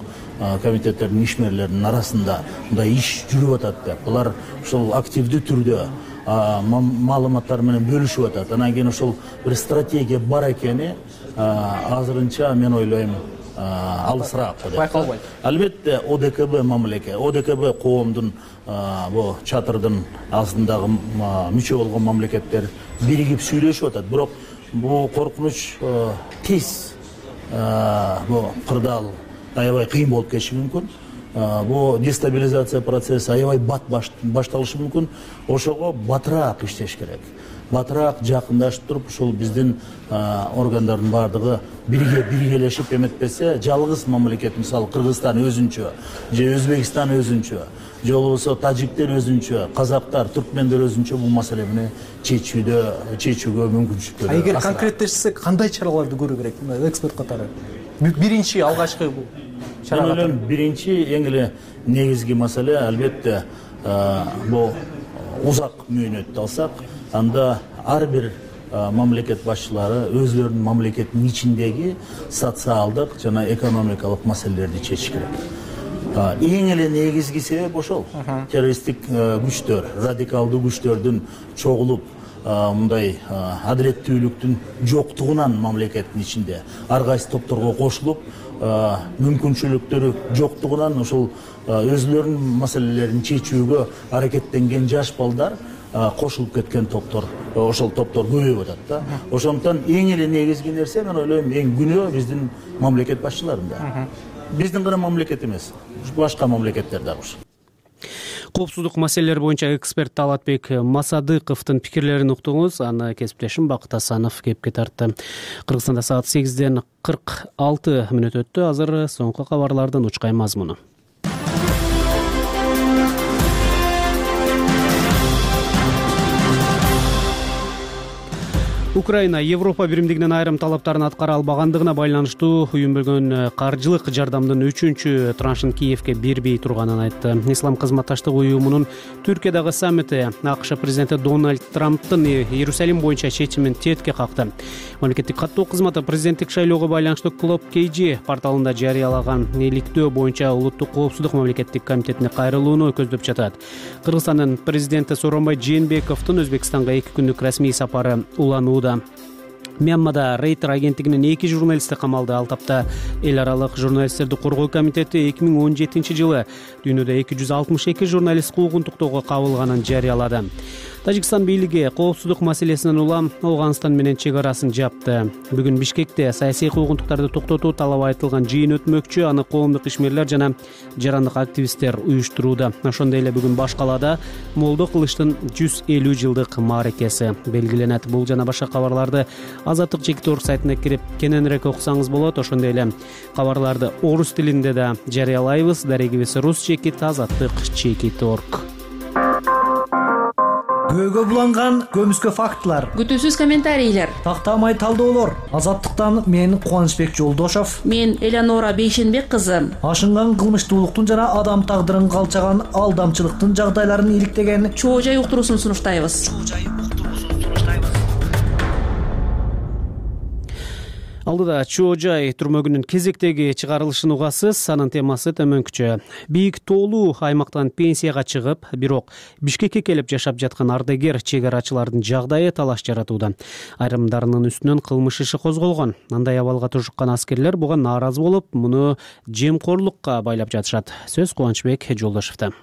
комитеттеринин ишмерлеринин арасында мындай иш жүрүп атат деп. Булар ушул активдүү түрдө маалыматтар менен бөлүшүп атат. Анан кийин ошол бир стратегия бар экени азырынча мен ойлойм алысыраак деп. Байкалбайт. Албетте ОДКБ мамлекет, ОДКБ коомдун бу чатырдын астындагы мүчө болгон мамлекеттер биригип сүйлөшүп атат. Бирок бу коркунуч тез бу кырдаал аябай кыйын болуп кетиши мүмкүн. Бу дестабилизация процесси аябай бат башталышы мүмкүн. Ошого батыраак иштеш керек. Батыраак жакындашып туруп, ушул биздин органдардын баардыгы биргелешип эметпесе, жалгыз мамлекет, мисалы Кыргызстан өзүнчө, же Өзбекстан өзүнчө, же болбосо тажиктер өзүнчө, казактар, түркмендер өзүнчө бул маселени чечүүгө мүмкүнчүлүк берет. Эгер конкреттешсек, кандай чараларды көрүү керек эксперт катары? Биринчи алгачкы бул чара. Мен ойлойм, биринчи эң эле негизги маселе албетте бул узак мөөнөттү алсак, анда ар бир мамлекет башчылары өзлөрүнүн мамлекеттин ичиндеги социалдык жана экономикалык маселелерди чечиш керек. Эң эле негизги себеп ошол. Террористтик күчтөр, радикалдуу күчтөрдүн чогулуп, мындай адилеттүүлүктүн жоктугунан мамлекеттин ичинде ар кайсы топторго кошулуп, мүмкүнчүлүктөрү жоктугунан ошол өзлөрүнүн маселелерин чечүүгө аракеттенген жаш балдар кошулуп кеткен топтор, ошол топтор көбөйүп атат да. Ошондуктан эң эле негизги нерсе, мен ойлойм, эң күнөө биздин мамлекет башчыларында. Биздин гана мамлекет эмес, башка мамлекеттер дагы. Коопсуздук маселелери боюнча эксперт Талатбек Масадыковдун пикирлерин уктуңуз. Аны кесиптешим Бакыт Асанов кепке тартты. Кыргызстанда саат 8:46 өттү. Азыр соңку кабарлардын учкай мазмуну. Украина Европа биримдигинин айрым талаптарын аткара албагандыгына байланыштуу уюм бөлгөн каржылык жардамдын 3-чү траншын Киевке бербей турганын айтты. Ислам кызматташтык уюмунун Түркиядагы саммити АКШ президенти Дональд Трамптын Иерусалим боюнча чечимин четке какты. Мамлекеттик каттоо кызматы президенттик шайлоого байланыштуу Club KG порталында жарыялаган иликтөө боюнча улуттук коопсуздук мамлекеттик комитетине кайрылууну көздөп жатат. Кыргызстандын президенти Сооронбай Жээнбековдун Өзбекстанга 2 күндүк расмий сапары уланууда. Мьянмада Рейтер агенттигинин 2 журналисти камалды. Ал тапта эл аралык журналисттерди коргоо комитети 2017-жылы дүйнөдө 262 журналист куугунтуктоого кабылганын жарыялады. Тажикстан бийлиги коопсуздук маселесинен улам Афганистан менен чек арасын жапты. Бүгүн Бишкекте саясий куугунтуктарды токтотуу талабы айтылган жыйын өтмөкчү. Аны коомдук ишмерлер жана жарандык активисттер уюштурууда. Ошондой эле бүгүн баш калаада Молдо кылыштын 150 жылдык мааракеси белгиленет. Бул жана башка кабарларды Азаттык Чекит.орг сайтына кирип кененирээк окусаңыз болот. Ошондой эле кабарларды орус тилинде да жарыялайбыз. Дарегибиз Рус Чекит, Азаттык Чекит.орg. Көөгө буланган көмүскө фактылар, күтүүсүз комментарийлер, тактамай талдоолор. Азаттыктан мен Кубанычбек Жолдошов, мен Элеонора Бейшенбек кызы. Ашынган кылмыштуулуктун жана адам тагдырын калчаган алдамчылыктын жагдайларын иликтеген чоо жай уктуруусун сунуштайбыз. Алдыда чоо жай түрмөгүнүн кезектеги чыгарылышын угасыз. Анын темасы төмөнкүчө. Бийик тоолуу аймактан пенсияга чыгып, бирок Бишкекке келип жашап жаткан ардагер чек арачылардын жагдайы талаш жаратууда. Айрымдарынын үстүнөн кылмыш иши козголгон. Андай абалга тушуккан аскерлер буга нааразы болуп, муну жемкорлукка байлап жатышат. Сөз Кубанычбек Жолдошовдо.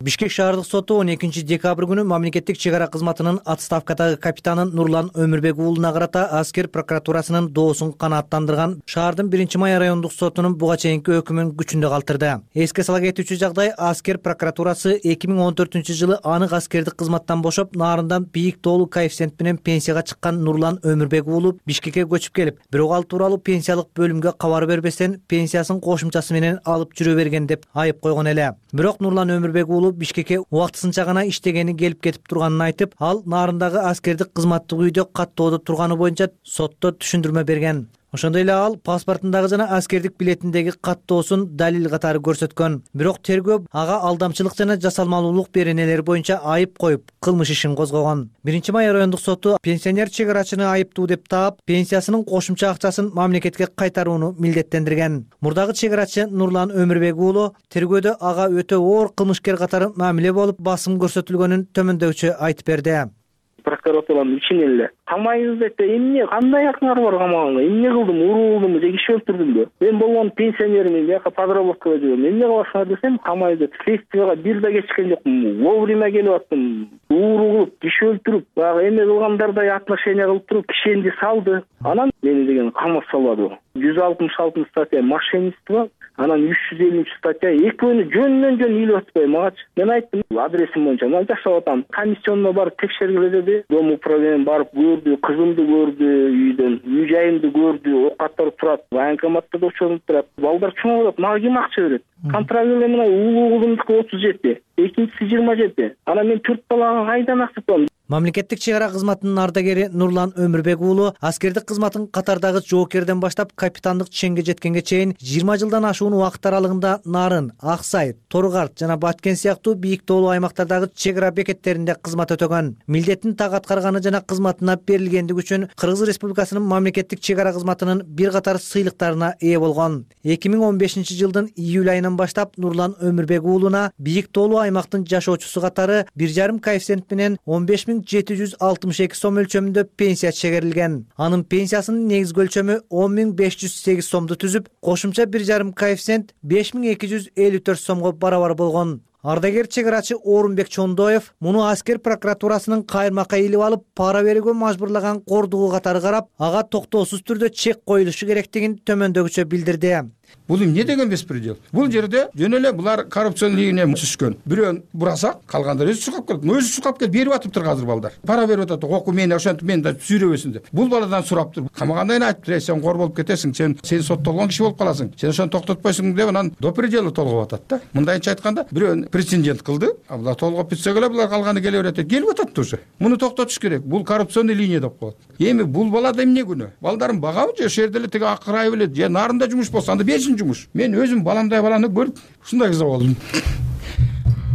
Бишкек шаардык соту 12 декабрь күнү мамлекеттик чек ара кызматынын отставкадагы капитаны Нурлан Өмүрбек уулуна карата аскер прокуратурасынын доосун канааттандырган шаардын 1-май райондук сотунун буга чейинки өкүмүн күчүндө калтырды. Эске сала кетүүчү жагдай, аскер прокуратурасы 2014-жылы анык аскердик кызматтан бошоп, нарындан бийик тоолуу коэффициент менен пенсияга чыккан Нурлан Өмүрбек уулу Бишкекке көчүп келип, бирок ал тууралуу пенсиялык бөлүмгө кабар бербестен пенсиясын кошумчасы менен алып жүрө берген деп айып койгон эле. Бирок Нурлан Өмүрбек уулу уулу Бишкекке убактысынча гана иштегени келип кетип турганын айтып, ал Нарындагы аскердик кызматтык үйдө каттоодо турганы боюнча сотто түшүндүрмө берген. Ошондой эле ал паспортундагы жана аскердик билетиндеги каттоосун далил катары көрсөткөн. Бирок тергөө ага алдамчылык жана жасалмалуулук беренелери боюнча айып коюп, кылмыш ишин козгогон. 1-май райондук соту пенсионер чек-арачыны айыптуу деп таап, пенсиясынын кошумча акчасын мамлекетке кайтарууну милдеттендирген. Мурдагы чек-арачы Нурлан Өмүрбек уулу тергөөдө ага өтө оор кылмышкер катары мамиле болуп, басым көрсөтүлгөнүн төмөндөгүчө айтып берди. Прокуратуранын ичинен эле камайбыз деп эмне кандай акыңар бар камаганга, эмне кылдым, урулдумбу же киши өлтүрдүмбү? Мен болгон пенсионермин, бияка подработкага жүрөм. Эмне кыласыңар десем, камайбыз деп. Следствияга бир да кечиккен жокмун. Вовремя келип аттым. Ууру кылып, киши өлтүрүп, баягы эме кылгандардай отношение кылып туруп, кишенди салды. Анан мени деген камап салбады. 166 статья мошенничество, анан 350 статья экөөнү жөнүнөн жөн үйлөп атпай магачы. Мен айттым, адресим боюнча мен жашап атам. Комиссионно барып текшергиле деди. Дом управлениене барып көрдү, кызымды көрдү үйдөн, үй жайымды көрдү, окаттар турат, военкоматта да очоруп турат. Балдар чоңойлоп, мага ким акча берет? Контрагеле мына уулуу кызымдыкы 37, экинчиси 27. Анан мен 4 балага кайдан акча табам? Мамлекеттик чек ара кызматынын ардагери Нурлан Өмүрбек уулу аскердик кызматын катардагы жоокерден баштап капитандык ченге жеткенге чейин 20 жылдан ашуун убакыт аралыгында Нарын, Аксай, Торгарт жана Баткен сыяктуу бийик тоолуу аймактардагы чек ара бекеттеринде кызмат өтөгөн. Милдетин так аткарганы жана кызматына берилгендиги үчүн Кыргыз Республикасынын мамлекеттик чек ара кызматынын бир катар сыйлыктарына ээ болгон. 2015 жылдын июль айынан баштап Нурлан Өмүрбек уулуна бийик тоолуу аймактын жашоочусу катары 1,5 коэффициент менен 15.762 сом өлчөмүндө пенсия чегерилген. Анын пенсиясынын негизги өлчөмү 10.508 сомду түзүп, кошумча 1,5 коэффициент 5.254 сомго барабар болгон. Ардагер чек-арачы Орунбек Чондоев муну аскер прокуратурасынын кайырмакка илип алып, пара берүүгө мажбурлаган кордугу катары карап, ага токтоосуз түрдө чек коюлушу керектигин төмөндөгүчө билдирди. Бул эмне деген беспредел? Бул жерде жөн эле булар коррупциянын ийине түшкөн. Бирөөн бурасак, калгандар өзү чукап келет. Өзү чукап келип берип атыптыр азыр балдар. Пара берип атат, оку мени ошентип мени да сүйрөбөсүн деп. Бул баладан сураптыр. Камагандай айтыптыр, сен кор болуп кетесиң, сен соттолгон киши болуп каласың. Сен ошону токтотпойсуң деп анан до предела толгоп атат да. Мындайча айтканда, бирөөн прецедент кылды. Булар толгоп бүтсө эле булар калганы келе берет. Келип атат уже. Муну токтотуш керек. Бул коррупционный линия деп коет. Эми бул балада эмне күнөө? Балдарын багабы же ошол жерде эле тиги акырай белет, же нарында жумуш болсо анда берсин жумуш. Мен өзүм баламдай баланы көрүп ушундай кыза болдум.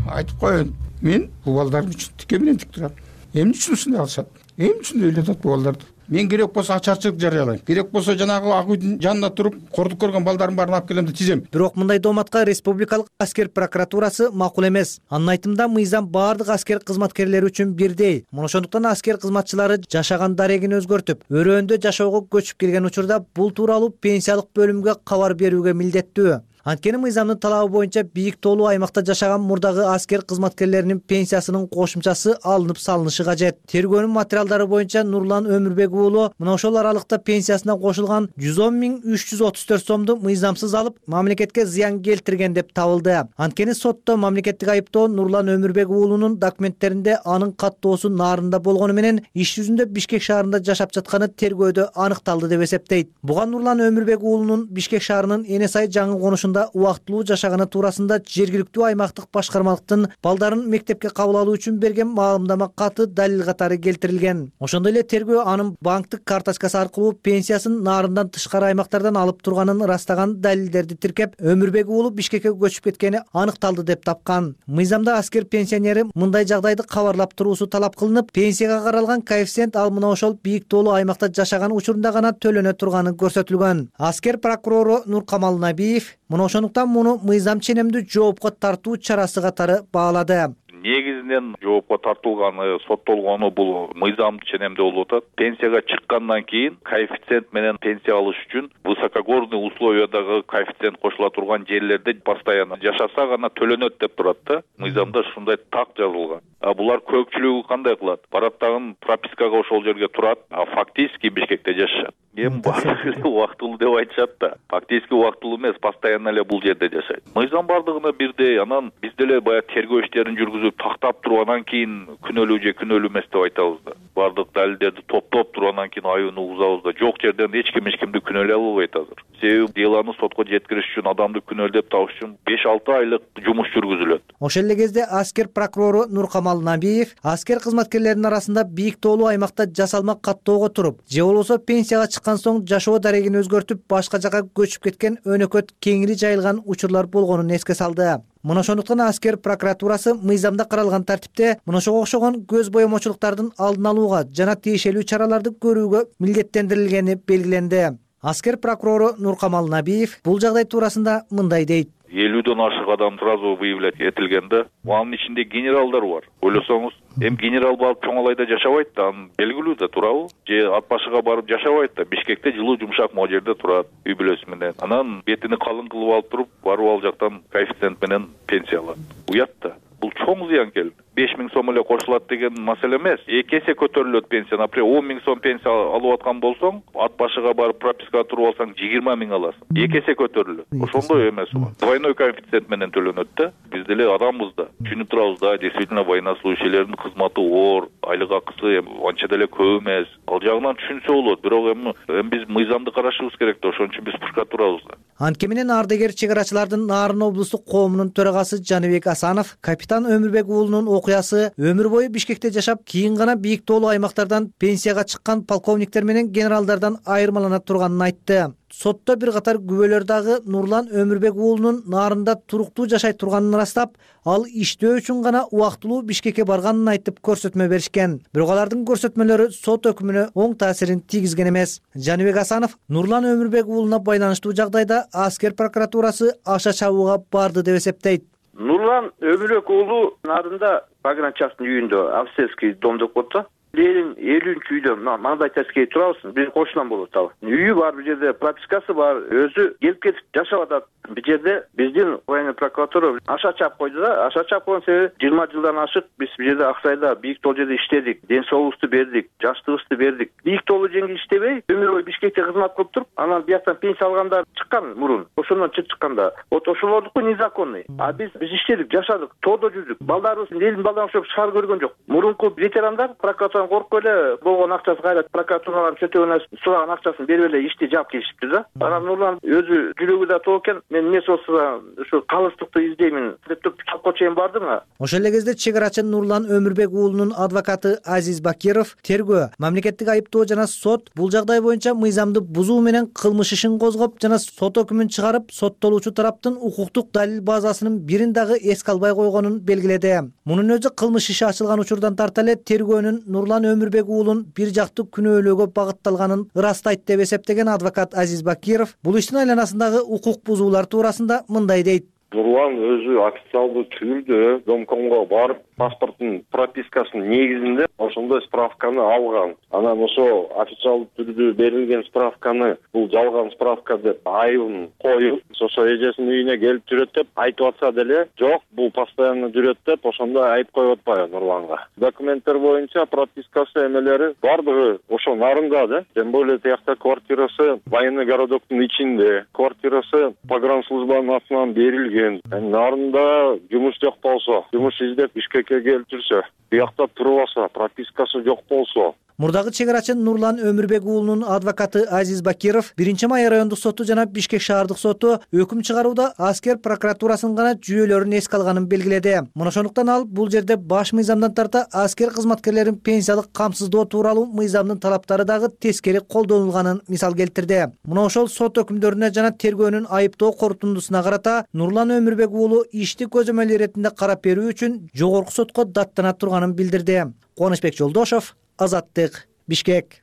Айтып коеюн, мен бул балдарым үчүн тике менен тик турам. Эмне үчүн ушундай кылышат? Эмне үчүн ыйлатат бул балдарды? Мен керек болсо ачарчылык жарыялайм. Керек болсо жанагы ак үйдүн жанында туруп, кордук көргөн балдарым баарын алып келем деп тизем. Бирок мындай дооматка республикалык аскер прокуратурасы макул эмес. Анын айтымында мыйзам баардык аскер кызматкерлери үчүн бирдей. Мына ошондуктан аскер кызматчылары жашаган дарегин өзгөртүп, өрөөндө жашоого көчүп келген учурда бул тууралуу пенсиялык бөлүмгө кабар берүүгө милдеттүү. Анткени мыйзамдын талабы боюнча бийик тоолуу аймакта жашаган мурдагы аскер кызматкерлеринин пенсиясынын кошумчасы алынып салынышы кажет. Тергөөнүн материалдары боюнча Нурлан Өмүрбек уулу мына ошол аралыкта пенсиясына кошулган 110.334 сомду мыйзамсыз алып, мамлекетке зыян келтирген деп табылды. Анткени сотто мамлекеттик айыптоо Нурлан Өмүрбек уулунун документтеринде анын каттоосу Нарында болгону менен иш жүзүндө Бишкек шаарында жашап жатканы тергөөдө аныкталды деп эсептейт. Буга Нурлан Өмүрбек уулунун Бишкек шаарынын Энесай жаңы конушунда убактылуу жашаганы туурасында жергиликтүү аймактык башкармалыктын балдарын мектепке кабыл алуу үчүн берген маалымдама каты далил катары келтирилген. Ошондой эле тергөө анын банктык карточкасы аркылуу пенсиясын Нарындан тышкары аймактардан алып турганын ырастаган далилдерди тиркеп, Өмүрбек уулу Бишкекке көчүп кеткени аныкталды деп тапкан. Мыйзамда аскер пенсионери мындай жагдайды кабарлап туруусу талап кылынып, пенсияга каралган коэффициент ал мына ошол бийик тоолуу аймакта жашаган учурунда гана төлөнө турганы көрсөтүлгөн. Аскер прокурору Нуркамал Набиев мына ошондуктан муну мыйзам ченемдүү жоопко тартуу чарасы катары баалады. Негизинен жоопко тартылганы, соттолгону бул мыйзам ченемдүү болуп атат. Пенсияга чыккандан кийин коэффициент менен пенсия алыш үчүн высокогорный условиядагы коэффициент кошула турган жерлерде постоянно жашаса гана төлөнөт деп турат да. Мыйзамда ушундай так жазылган. Булар көпчүлүгү кандай кылат? Барат дагы пропискага ошол жерге турат, фактически Бишкекте жашашат. Эми баардыгы убактылуу деп айтышат да. Фактически убактылуу эмес, постоянно эле бул жерде жашайт. Мыйзам баардыгына бирдей. Анан биз деле баягы тергөө иштерин жүргүзүп тактап туруп анан кийин күнөөлүү же күнөөлүү эмес деп айтабыз да. Баардык далилдерди топтоп туруп анан кийин айууну угузабыз да. Жок жерден эч кимди күнөөлөй албайт азыр. Себеби делону сотко жеткириш үчүн адамды күнөөлөп табыш үчүн 5-6 айлык жумуш жүргүзүлөт. Ошол эле кезде аскер прокурору Нуркамал Набиев аскер кызматкерлеринин арасында бийик тоолуу аймакта жасалма каттоого туруп, же болбосо пенсияга чыккан соң жашоо дарегин өзгөртүп башка жакка көчүп кеткен өнөкөт кеңири жайылган учурлар болгонун эске салды. Мына ошондуктан аскер прокуратурасы мыйзамда каралган тартипте мына ошого окшогон көз боемочулуктардын алдын алууга жана тиешелүү чараларды көрүүгө милдеттендирилгени белгиленди. Аскер прокурору Нуркамал Набиев бул жагдай туурасында мындай дейт. 50ден ашык адам сразу выявлять этилгенде, анын ичинде генералдар бар. Ойлосоңуз, генерал барып Чоңалайда жашабайт да, анын белгилүү да, туурабы? Же ат башыга барып жашабайт да, Бишкекте жылуу жумшак могу жерде турат, үй бүлөсү менен. Анан бетини калың кылып алып туруп, барып ал жактан коэффициент менен пенсия алат. Уят да. Бул чоң зыян келди. 5000 сом эле кошулат деген маселе эмес. 2 эсе көтөрүлөт пенсия. Например, 10 000 сом пенсия алып аткан болсоң, ат башыга барып пропискага туруп алсаң 20 000 аласың. 2 эсе көтөрүлөт. Ошондой эмес бул. Двойной коэффициент менен төлөнөт да. Биз деле адамбыз да. Түшүнүп турабыз да, действительно военнослужащийлердин кызматы оор, айлык акысы анча деле көп эмес. Ал жагынан түшүнсө болот, бирок эми биз мыйзамды карашыбыз керек да, ошон үчүн биз прокуратурабыз да. Антке менен ардагер чек арачылардын Нарын облустук коомунун төрагасы Жаныбек Асанов капитан Өмүрбек уулунун окуясы өмүр бою Бишкекте жашап, кийин гана бийик тоолуу аймактардан пенсияга чыккан полковниктер менен генералдардан айырмалана турганын айтты. Сотто бир катар күбөлөр дагы Нурлан Өмүрбек уулунун Нарында туруктуу жашай турганын ырастап, ал иштөө үчүн гана убактылуу Бишкекке барганын айтып көрсөтмө беришкен. Бирок алардын көрсөтмөлөрү сот өкүмүнө оң таасирин тийгизген эмес. Жаныбек Асанов Нурлан Өмүрбек уулуна байланыштуу жагдайда аскер прокуратурасы аша чабууга барды деп эсептейт. Нурлан Өмүрбек уулу Нарында погранчастын үйүндө офицерский дом деп коет. Элин 50-чү үйдө мындай участкеге турабыз, биздин кошунан болот ал. Үйү бар, бул жерде пропискасы бар, өзү келип кетип жашап атат. Бул жерде биздин военный прокуратура аша чап койду да. Аша чап койгон себеби 20 жылдан ашык биз бул жерде Аксайда бийик тоолуу жерде иштедик, ден соолукту бердик, жаштыгыбызды бердик. Бийик тоолуу жерде иштебей, өмүр бою Бишкекте кызмат кылып туруп, анан бияктан пенсия алгандар чыккан мурун. Ошондон чыкканда, вот ошолордуку незаконный. А биз иштедик, жашадык, тоодо жүрдүк. Балдарыбыз элдин балдарына окшоп шаар көргөн жок. Мурунку ветерандар прокуратурадан коркуп эле болгон акчасы кайра прокуратуралар чөтөгөнө сураган акчасын берип эле ишти жаап келишипти да. Анан Нурлан өзү жүрөгү да тоо экен. Мен эмес болсо ушу калыстыкты издеймин деп туруп чапко чейин бардым. Ошол эле кезде чек арачы Нурлан Өмүрбек уулунун адвокаты Азиз Бакиров тергөө, мамлекеттик айыптоо жана сот бул жагдай боюнча мыйзамды бузуу менен кылмыш ишин козгоп жана сот өкүмүн чыгарып, соттолуучу тараптын укуктук далил базасынын бирин дагы эске албай койгонун белгиледи. Мунун өзү кылмыш иши ачылган учурдан тарта эле тергөөнүн Нурлан Өмүрбек уулун бир жактуу күнөөлөөгө багытталганын ырастайт деп эсептеген адвокат Азиз Бакиров бул иштин айланасындагы укук бузуулар туурасында мындай дейт. Нурлан өзү официалдуу түрдө домкомго барып паспорттун пропискасынын негизинде ошондой справканы алган. Анан ошо официалдуу түрдө берилген справканы бул жалган справка деп айыбын коюп, ошо эжесинин үйүнө келип жүрөт деп айтып атса деле, жок, бул постоянно жүрөт деп ошондой айып коюп атпайбы Нурланга. Документтер боюнча пропискасы эмелери бардыгы ошо Нарында да. Тем более тиякта квартирасы военный городоктун ичинде, квартирасы погранслужбанын атынан берилген. Нарында жумуш жок болсо, жумуш издеп Бишкекке келип жүрсө, биякта туруп алса, пропискасы жок болсо. Мурдагы чек арачы Нурлан Өмүрбек уулунун адвокаты Азиз Бакиров 1-май райондук соту жана Бишкек шаардык соту өкүм чыгарууда аскер прокуратурасынын гана жүйөлөрүн эске алганын белгиледи. Мына ошондуктан ал бул жерде баш мыйзамдан тарта аскер кызматкерлерин пенсиялык камсыздоо тууралуу мыйзамдын талаптары дагы тескери колдонулганын мисал келтирди. Мына ошол сот өкүмдөрүнө жана тергөөнүн айыптоо корутундусуна карата Нурлан Өмүрбек уулу ишти көзөмөл иретинде карап берүү үчүн жогорку сотко даттана турганын билдирди. Кубанычбек Жолдошов, Азаттык, Бишкек.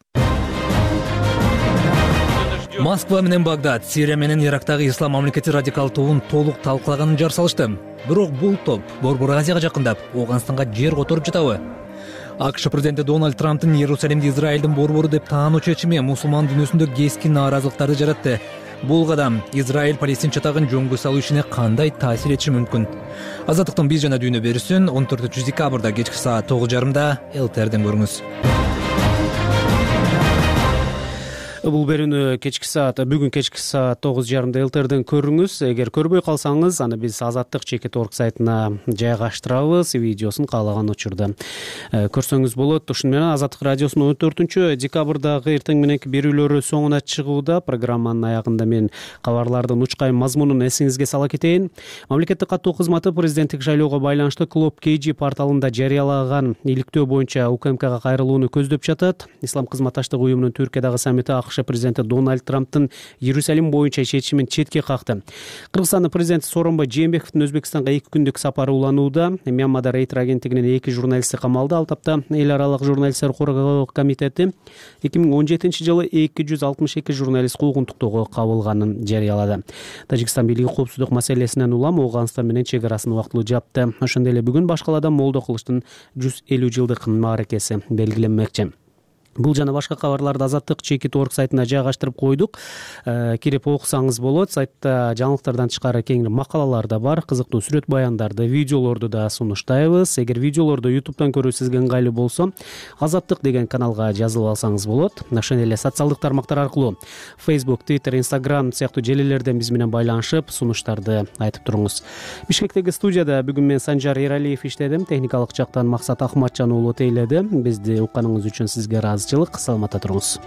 Москва менен Багдад Сирия менен Ирактагы ислам мамлекети радикал тобун толук талкалаганын жар салышты. Бирок бул топ Борбор Азияга жакындап, Афганистанга жер которуп жатабы? АКШ президенти Дональд Трамптын Иерусалимди Израилдин борбору деп таануу чечими мусулман дүйнөсүндө кескин нааразылыктарды жаратты. Бул кадам Израиль-Палестин чатагын жөнгө салуу ишине кандай таасир этиши мүмкүн? Азаттыктын биз жана дүйнө берүүсүн 14 декабрда кечки саат 9:30 ЛТРден көрүңүз. Бул берүүнү бүгүн кечки саат 9:30 элтерден көрүңүз. Эгер көрбөй калсаңыз, аны биз Азаттык чекит.org сайтына жайгаштырабыз. Видеосун каалаган учурда көрсөңүз болот. Ушуну менен Азаттык радиосунун 14-декабрдагы эртең мененки берүүлөрү соңуна чыгууда. Программанын аягында мен кабарлардын учкай мазмунун эсиңизге сала кетейин. Мамлекеттик каттоо кызматы президенттик шайлоого байланыштуу Клоп KG порталында жарыялаган иликтөө боюнча УКМКга кайрылууну көздөп жатат. Ислам кызматташтык уюмунун Түркиядагы саммити АКШ президенти Дональд Трамптын Иерусалим боюнча чечимин четке какты. Кыргызстандын президенти Сооронбай Жээнбековдун Өзбекстанга 2 күндүк сапары уланууда. Мьянмада Рейтер агенттигинин 2 журналисти камалды. Ал тапта эл аралык журналисттер коргоо комитети 2017-жылы 262 журналист куугун токтоого кабылганын жарыялады. Тажикстан бийлиги коопсуздук маселесинен улам Ооганстан менен чек арасын убактылуу жапты. Ошондой эле бүгүн башкалада Молдо кылычтын 150 жылдык мааракеси белгиленмекчи. Бул жана башка кабарларды Азаттык чекит.org сайтына жайгаштырып койдук. Кирип окусаңыз болот. Сайтта жаңылыктардан тышкары кеңири макалалар да бар, кызыктуу сүрөт баяндарды, видеолорду да сунуштайбыз. Эгер видеолорду YouTube'дан көрүү сизге ыңгайлуу болсо, Азаттык деген каналга жазылып алсаңыз болот. Ошондой эле социалдык тармактар аркылуу Facebook, Twitter, Instagram сыяктуу желилерден биз менен байланышып, сунуштарды айтып туруңуз. Бишкектеги студияда бүгүн мен Санжар Эралиев иштедим. Техникалык жактан Максат Ахматжан уулу тейледи. Бизди укканыңыз үчүн сизге саламатта туруңуз.